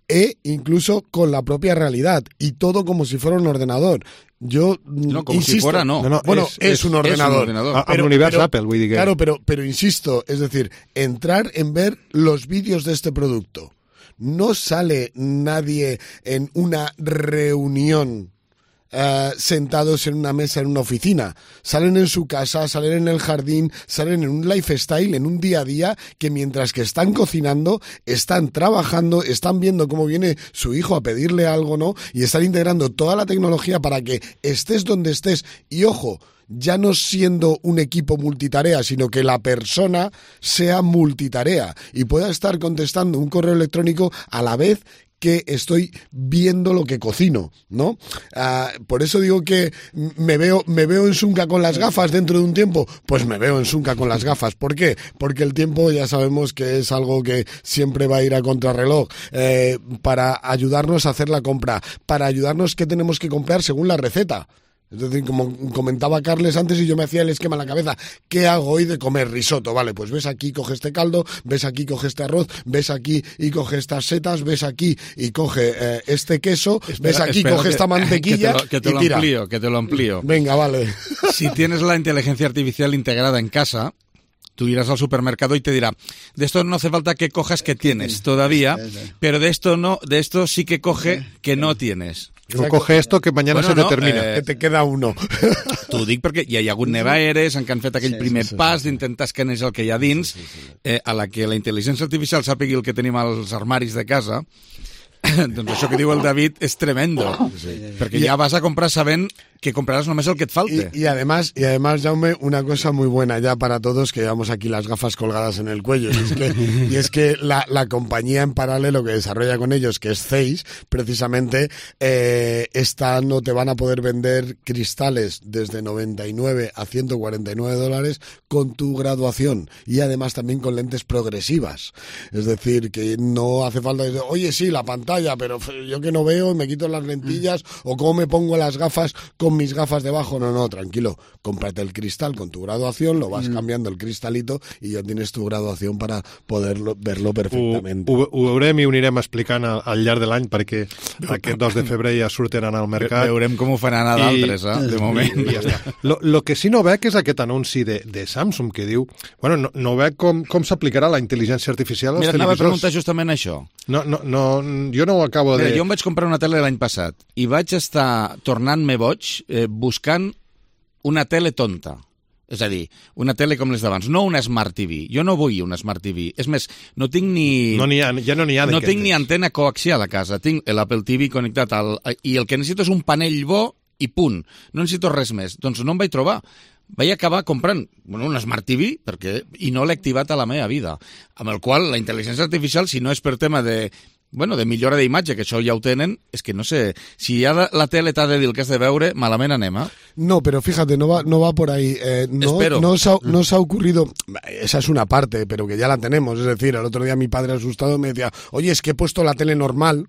e incluso con la propia realidad y todo como si fuera un ordenador. Yo no, como insisto, si fuera, no. no, no bueno, es, es, es, un ordenador. Es un ordenador. Pero, a, univers pero, Apple, vull dir que... Claro, pero, pero insisto, es decir, entrar en ver los vídeos de este producto. No sale nadie en una reunión Uh, sentados en una mesa en una oficina, salen en su casa, salen en el jardín, salen en un lifestyle, en un día a día, que mientras que están cocinando, están trabajando, están viendo cómo viene su hijo a pedirle algo, ¿no? Y están integrando toda la tecnología para que estés donde estés. Y ojo, ya no siendo un equipo multitarea, sino que la persona sea multitarea y pueda estar contestando un correo electrónico a la vez que estoy viendo lo que cocino, ¿no? Uh, por eso digo que me veo, me veo en Zunca con las gafas dentro de un tiempo, pues me veo en Zunca con las gafas. ¿Por qué? Porque el tiempo ya sabemos que es algo que siempre va a ir a contrarreloj, eh, para ayudarnos a hacer la compra, para ayudarnos qué tenemos que comprar según la receta. Es decir, como comentaba Carles antes y yo me hacía el esquema en la cabeza, ¿qué hago hoy de comer risotto? Vale, pues ves aquí, coge este caldo, ves aquí, coge este arroz, ves aquí y coge estas setas, ves aquí y coge eh, este queso, espera, ves aquí, coge que, esta mantequilla que te lo, que te y lo tira. amplío, que te lo amplío. Venga, vale. Si tienes la inteligencia artificial integrada en casa, Tú irás al supermercado y te dirá, de esto no hace falta que cojas que tienes todavía, pero de esto no, de esto sí que coge que no tienes. No coge esto que mañana bueno, se no, determina. Eh, que te queda uno. T'ho dic perquè hi ha hagut nevaeres en què han fet aquell sí, primer sí, sí, pas d'intentar escanejar el que hi ha dins, sí, sí, sí. Eh, a la que la intel·ligència artificial sàpigui el que tenim als armaris de casa. Doncs això que diu el David és tremendo, sí. perquè ja vas a comprar sabent que comprarás només el que et falte. Y, y además, y además, Jaume, una cosa muy buena ya para todos, que llevamos aquí las gafas colgadas en el cuello, y es que, y es que la, la compañía en paralelo que desarrolla con ellos, que es Zeiss, precisamente, eh, esta no te van a poder vender cristales desde noventa y nueve a ciento cuarenta y nueve dólares con tu graduación, y además también con lentes progresivas. Es decir, que no hace falta decir, oye, sí, la pantalla, pero yo que no veo, me quito las lentillas, o cómo me pongo las gafas con mis gafas debajo. No, no, tranquilo, cómprate el cristal con tu graduación, lo vas mm. cambiando el cristalito i ja tienes tu graduación para poder verlo perfectamente. Ho, ho, ho veurem i ho anirem explicant al, al llarg de l'any perquè aquest dos de febrer ja sortiran al mercat. Ve, veurem com ho faran a d'altres, eh, de moment. I, i ja està. Lo, lo que sí no veig és aquest anunci de, de Samsung que diu, bueno, no, no veig com, com s'aplicarà la intel·ligència artificial als Mira, televisors. Mira, anava a preguntar justament això. No, no, no, jo no ho acabo de... Mira, jo em vaig comprar una tele l'any passat i vaig estar tornant-me boig eh, buscant una tele tonta. És a dir, una tele com les d'abans, no una Smart T V. Jo no vull una Smart T V. És més, no tinc ni... No n'hi ha, ja no n'hi ha. No tinc ni antena coaxial a casa. Tinc l'Apple T V connectat al... I el que necessito és un panell bo i punt. No necessito res més. Doncs no em vaig trobar. Vaig acabar comprant bueno, una Smart T V perquè, i no l'he activat a la meva vida. Amb el qual la intel·ligència artificial, si no és per tema de... Bueno, de millora d'imatge, que això ja ho tenen, és que no sé, si ja la, la tele t'ha de dir el que has de veure, malament anem, eh? No, pero fíjate, no va, no va por ahí. Eh, no, Espero. No os, ha, no os ha ocurrido, esa es una parte, pero que ya la tenemos, es decir, el otro día mi padre asustado me decía, oye, es que he puesto la tele normal.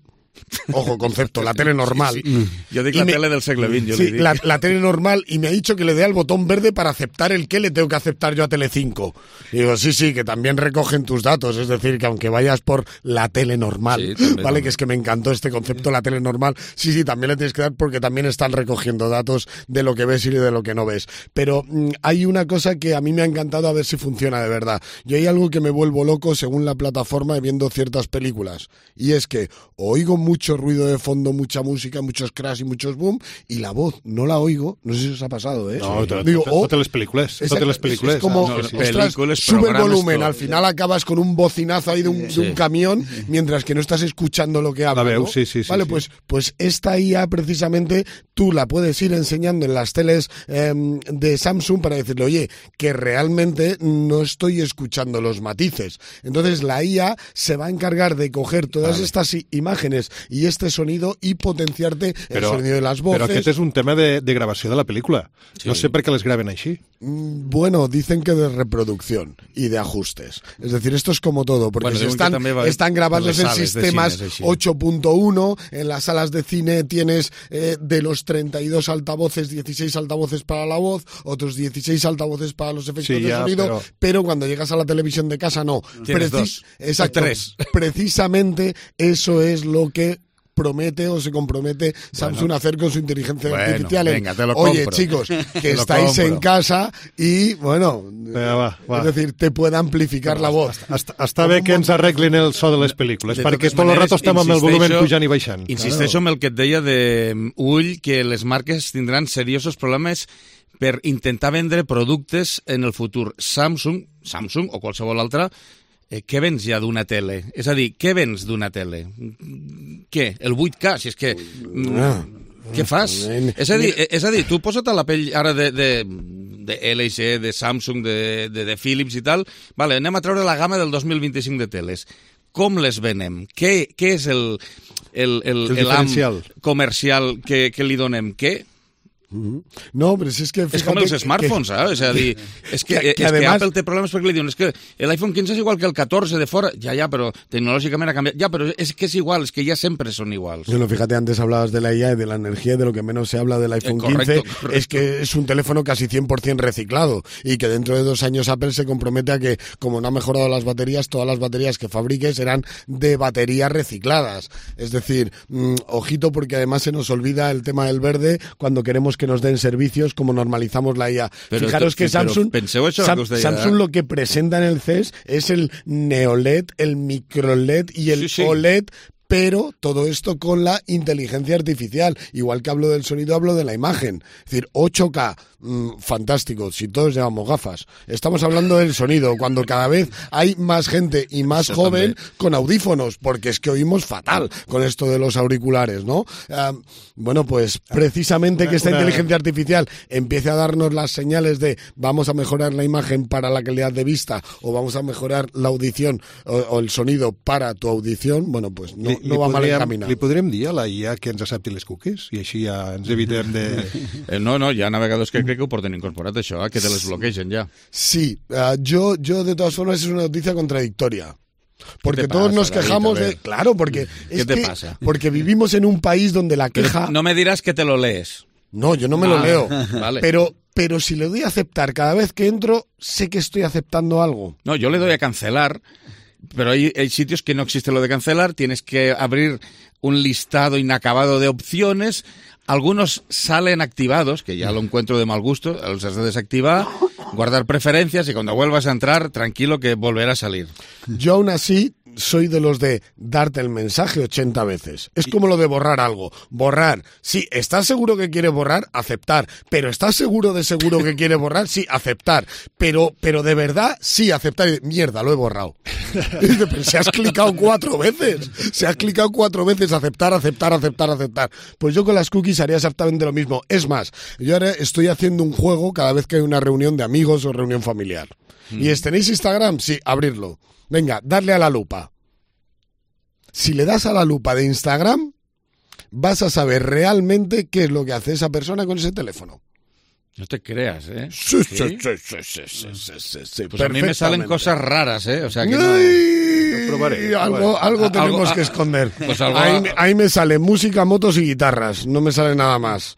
Ojo, concepto, la tele normal. Sí, sí. Yo digo la me, tele del siglo veinte. Yo sí, le digo. La, la tele normal, y me ha dicho que le dé al botón verde para aceptar el que le tengo que aceptar yo a Telecinco. Y digo, sí, sí, que también recogen tus datos, es decir, que aunque vayas por la tele normal, sí, también, ¿vale? También. Que es que me encantó este concepto, la tele normal. Sí, sí, también le tienes que dar porque también están recogiendo datos de lo que ves y de lo que no ves. Pero mmm, hay una cosa que a mí me ha encantado a ver si funciona de verdad. Yo hay algo que me vuelvo loco según la plataforma viendo ciertas películas. Y es que oigo mucho ruido de fondo, mucha música, muchos crash y muchos boom, y la voz no la oigo, no sé si os ha pasado, ¿eh? No, te, Digo, oh, totes les pel·lícules. Totes les pel·lícules. Es como, no, ostras, sube el volumen, al final acabas con un bocinazo ahí de un, sí. de un camión, mientras que no estás escuchando lo que habla, la veu, ¿no? sí, sí, sí. Vale, sí. Pues, pues esta I A precisamente tú la puedes ir enseñando en las teles eh, de Samsung para decirle, oye, que realmente no estoy escuchando los matices. Entonces la I A se va a encargar de coger todas vale. estas imágenes y este sonido y potenciarte però, el sonido de las voces. Però aquest és un tema de, de gravació de la pel·lícula. Sí. No sé per què les graven així. Bueno, dicen que de reproducción y de ajustes. Es decir, esto es como todo, porque bueno, si están, están grabados en sistemas ocho punto uno, en las salas de cine tienes eh, de los treinta y dos altavoces, dieciséis altavoces para la voz, otros dieciséis altavoces para los efectos sí, de ya, sonido, pero... pero cuando llegas a la televisión de casa no. Tienes Preci- dos, exacto, tres. Precisamente eso es lo que promete o se compromete Samsung bueno, a hacer con su inteligencia bueno, artificial. Venga, te lo Oye, compro. chicos, que estáis compro. en casa y, bueno, venga, va, va. es decir, te puede amplificar no, la voz. Està, està bé que ens arreglin el so de les pel·lícules, de perquè tot el rato estem amb el volumen pujant i baixant. Insisteixo claro. amb el que et deia de Ull, que les marques tindran seriosos problemes per intentar vendre productes en el futur. Samsung, Samsung o qualsevol altra, Eh, què vens ja d'una tele? És a dir, què vens d'una tele? Què? El vuit K? Si és que... Ah. Què fas? És a dir, és a dir, tu posa't a la pell ara de, de, de L G, de Samsung, de, de, de Philips i tal. Vale, anem a treure la gamma del dos mil vint-i-cinc de teles. Com les venem? Què, què és el, el, el, el, el am comercial que, que li donem? Què? No, pero si es que... És com els smartphones, eh? És a dir, és que, que, que, és además... que Apple té problemes perquè li diuen és que l'iPhone quinze és igual que el catorze de fora. Ja, ja, però tecnològicament ha canviat. Ja, però és que és igual, és que ya siempre son iguals. Bueno, fíjate, antes hablabas de la I A y de la energía, de lo que menos se habla del iPhone eh, correcto, quince, correcto. Es que es un teléfono casi cien por ciento reciclado y que dentro de dos años Apple se compromete a que, como no ha mejorado las baterías, todas las baterías que fabrique serán de baterías recicladas. Es decir, mmm, ojito, porque además se nos olvida el tema del verde cuando queremos que nos den servicios, como normalizamos la I A. Pero Fijaros esto, que Samsung, penseu això Sam, que us deia, Samsung eh? lo que presenta en el C E S es el Neo L E D, el Micro L E D y el sí, sí. O L E D, pero todo esto con la inteligencia artificial. Igual que hablo del sonido, hablo de la imagen. Es decir, ocho K, mmm, fantástico, si todos llevamos gafas. Estamos hablando del sonido, cuando cada vez hay más gente y más Eso joven también. con audífonos, porque es que oímos fatal con esto de los auriculares, ¿no? Uh, bueno, pues precisamente Una- que esta una- inteligencia artificial empiece a darnos las señales de vamos a mejorar la imagen para la calidad de vista o vamos a mejorar la audición o, o el sonido para tu audición, bueno, pues no, Li, no va mal encaminat. li podrem dir a la I A que ens accepti les cookies i així ja ens evitem de... Eh, no, no, hi ha navegadors que crec que ho porten incorporat, això, eh, que te les bloquegen ja. Sí, uh, yo, yo de todas formas es una noticia contradictoria. Porque te todos pasa, nos David? quejamos A ver. de... Claro, porque... ¿Qué es te que- pasa? Porque vivimos en un país donde la Pero queja... no me dirás que te lo lees. No, yo no me Ah, lo leo. vale. Pero, pero si le doy a aceptar cada vez que entro, sé que estoy aceptando algo. No, yo le doy a cancelar, pero hay, hay sitios que no existe lo de cancelar, tienes que abrir un listado inacabado de opciones, algunos salen activados, que ya lo encuentro de mal gusto, los has de desactivar, guardar preferencias y cuando vuelvas a entrar, tranquilo que volverá a salir. Yo aún así soy de los de darte el mensaje ochenta veces. Es como lo de borrar algo. Borrar. Sí, ¿estás seguro que quieres borrar? Aceptar. Pero ¿estás seguro de seguro que quieres borrar? Sí, aceptar. Pero, pero de verdad, sí, aceptar. Y, mierda, lo he borrado. Y dice, pero si has clicado cuatro veces. Si has clicado cuatro veces, aceptar, aceptar, aceptar, aceptar. Pues yo con las cookies haría exactamente lo mismo. Es más, yo ahora estoy haciendo un juego cada vez que hay una reunión de amigos o reunión familiar. Mm. ¿Y es, tenéis Instagram? Sí, abrirlo. Venga, darle a la lupa. Si le das a la lupa de Instagram, vas a saber realmente qué es lo que hace esa persona con ese teléfono. No te creas, ¿eh? Sí, sí, sí, sí, sí, sí, sí, sí, sí, Pues a mí me salen perfectamente. cosas raras, ¿eh? O sea que no... Ay, probaré, algo, probaré. algo A- tenemos algo- que esconder. Pues algo- ahí, me- ahí me sale música, motos y guitarras. No me sale nada más.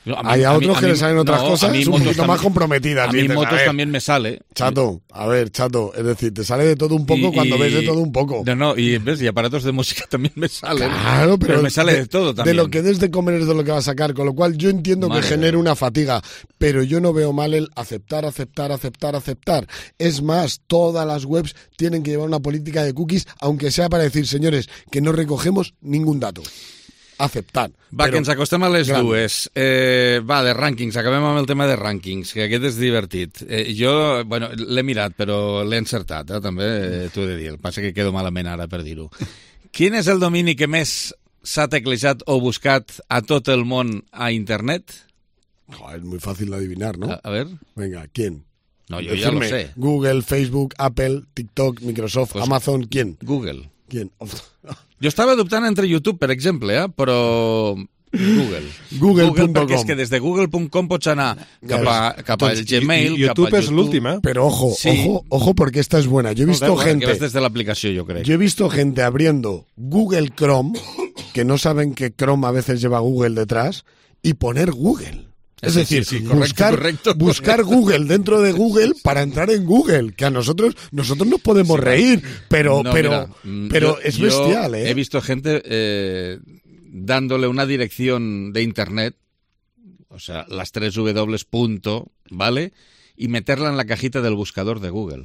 A mí- Hay a a mí- otros a que mí- le salen otras no, cosas a mí un motos poquito también- más comprometidas. A mí Dices, motos ver, también me sale. Chato, a ver, chato, es decir, te sale de todo un poco Y- cuando y- ves de todo un poco. No, no, y ves, y aparatos de música también me salen. Claro, pero, me sale de, todo también. De lo que des de comer es de lo que va a sacar, con lo cual yo entiendo Madre que genera una fatiga, pero yo no veo mal el aceptar, aceptar, aceptar, aceptar. Es más, todas las webs tienen que llevar una política de cookies, aunque sea para decir, señores, que no recogemos ningún dato. Aceptar. Va, Però- que ens acostem a les Gran. dues. Eh, va, de rànquings. Acabem amb el tema de rànquings, que aquest és divertit. Eh, jo, bueno, l'he mirat, però l'he encertat, eh, també, eh, t'ho he de dir. El passa que quedo malament ara per dir-ho. Quin és el domini que més s'ha teclejat o buscat a tot el món a internet? Joder, es muy fácil de adivinar, ¿no? A, a ver. Venga, ¿quién? No, yo ya lo Decirme, sé. Google, Facebook, Apple, TikTok, Microsoft, Pues- Amazon, ¿quién? Google. ¿Quién? Jo estava dubtant entre YouTube, per exemple, eh? però Google. Google punto com. perquè és que des de google punt com pots anar cap, a, cap al Doncs, Gmail, i- i cap YouTube a és l'últim, eh? Pero ojo, Sí. ojo, ojo, porque esta es buena. Yo he visto No, claro, gente... que ves desde la aplicació, jo crec. Yo he visto gente abriendo Google Chrome, que no saben que Chrome a veces lleva Google detrás, y poner Google. Es Sí, decir, sí, sí, correcto, buscar, correcto, buscar correcto. Google dentro de Google para entrar en Google, que a nosotros nosotros nos podemos Sí, reír, pero No, pero mira, mm, pero yo- es yo bestial, ¿eh? He visto gente eh, dándole una dirección de internet, o sea, las tres W punto, ¿vale? Y meterla en la cajita del buscador de Google.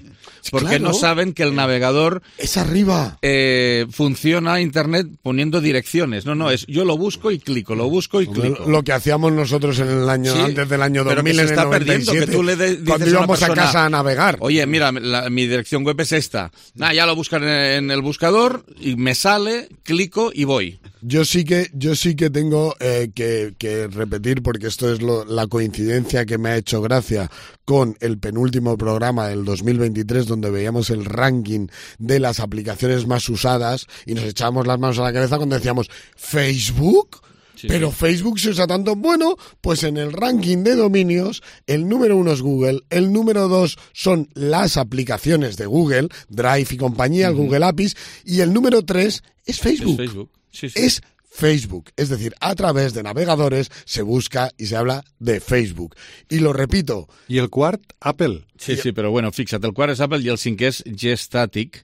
Porque claro. no saben que el navegador Es arriba. eh, funciona Internet poniendo direcciones. No, no, es yo lo busco y clico, lo busco y clico. Lo que hacíamos nosotros en el año Sí, antes del año pero dos mil, que se en el está noventa y perdiendo, siete, que tú le de- dices cuando a una íbamos a persona, casa a navegar. Oye, mira, la- mi dirección web es esta. Ah, ya lo buscan en, en el buscador y me sale, clico y voy. Yo sí que, yo sí que tengo eh, que, que repetir, porque esto es lo- la coincidencia que me ha hecho gracia con el penúltimo programa del dos mil veintitrés, donde veíamos el ranking de las aplicaciones más usadas y nos echábamos las manos a la cabeza cuando decíamos ¿Facebook? Sí, Pero sí. Facebook se usa tanto. Bueno, pues en el ranking de dominios, el número uno es Google, el número dos son las aplicaciones de Google, Drive y compañía, el Google A P Is, y el número tres es Facebook. Es Facebook. Sí, sí. Es Facebook, es decir, a través de navegadores se busca y se habla de Facebook. Y lo repito. I el quart, Apple. Sí, sí, però bueno, fixa't, el quart és Apple i el cinquè és G-Static,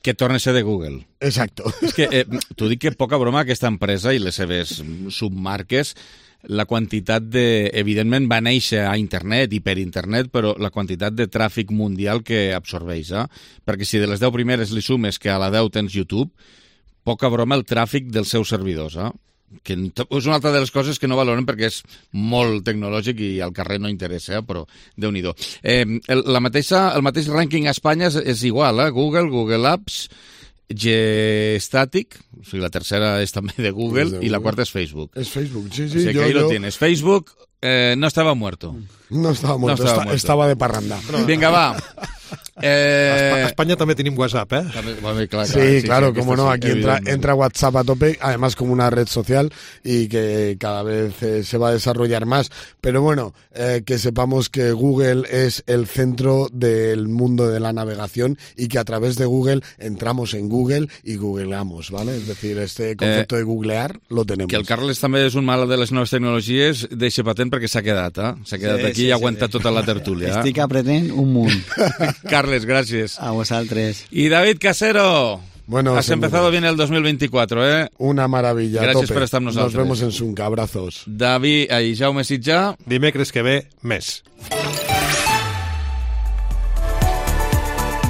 que torna a ser de Google. Exacto. És que, eh, t'ho dic que poca broma aquesta empresa i les seves submarques la quantitat de... Evidentment va néixer a internet i per internet, però la quantitat de tràfic mundial que absorbeix, eh? Perquè si de les deu primeres li sumes que a la deu tens YouTube, poca broma el tràfic dels seus servidors, eh? Que és una altra de les coses que no valoren perquè és molt tecnològic i al carrer no interessa, eh? Però Déu-n'hi-do. Eh, el, la mateixa, el mateix rànquing a Espanya és, és igual, eh? Google, Google Apps, Gstatic, o sigui, la tercera és també de Google, de Google. I la quarta és Facebook. És Facebook, sí, sí. O sigui, yo, que ahí yo... lo tienes. Facebook eh, no estaba muerto. No estaba muerto, no estaba, está, muerto. estaba de parranda. Vinga, va. Eh... A España también tienen WhatsApp, ¿eh? Vale, claro, sí, sí, claro, sí, como no, sí, aquí entra, entra WhatsApp a tope, además como una red social y que cada vez eh, se va a desarrollar más. Pero bueno, eh, que sepamos que Google es el centro del mundo de la navegación y que a través de Google entramos en Google y googleamos, ¿vale? Es decir, este concepto eh, de googlear lo tenemos. Que el Carles també és un mal de les noves tecnologies, deixa patent perquè s'ha quedat, eh? S'ha quedat sí, aquí sí, i aguanta sí, tota la tertúlia. Estic aprenent un munt. Carles, gràcies. A vosaltres. Y David Casero. Bueno, has empezado bien el dos mil veinticuatro, ¿eh? Una maravilla. Gracias tope. por estar amb nosaltres. Nos vemos en Sunca. Abrazos. David, i Jaume Sitjà. Dimecres que ve, més.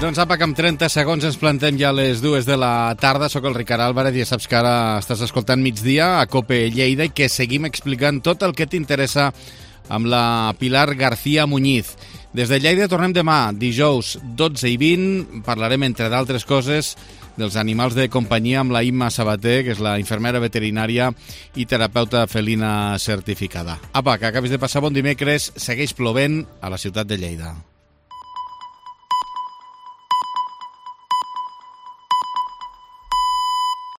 Doncs apa, que amb trenta segons ens plantem ja a les dues de la tarda. Soc el Ricard Álvarez i ja saps que ara estàs escoltant Migdia a COPE Lleida i que seguim explicant tot el que t'interessa amb la Pilar García Muñiz. Des de Lleida tornem demà, dijous dotze i vint. Parlarem, entre d'altres coses, dels animals de companyia amb la Imma Sabater, que és la infermera veterinària i terapeuta felina certificada. Apa, que acabis de passar bon dimecres. Segueix plovent a la ciutat de Lleida.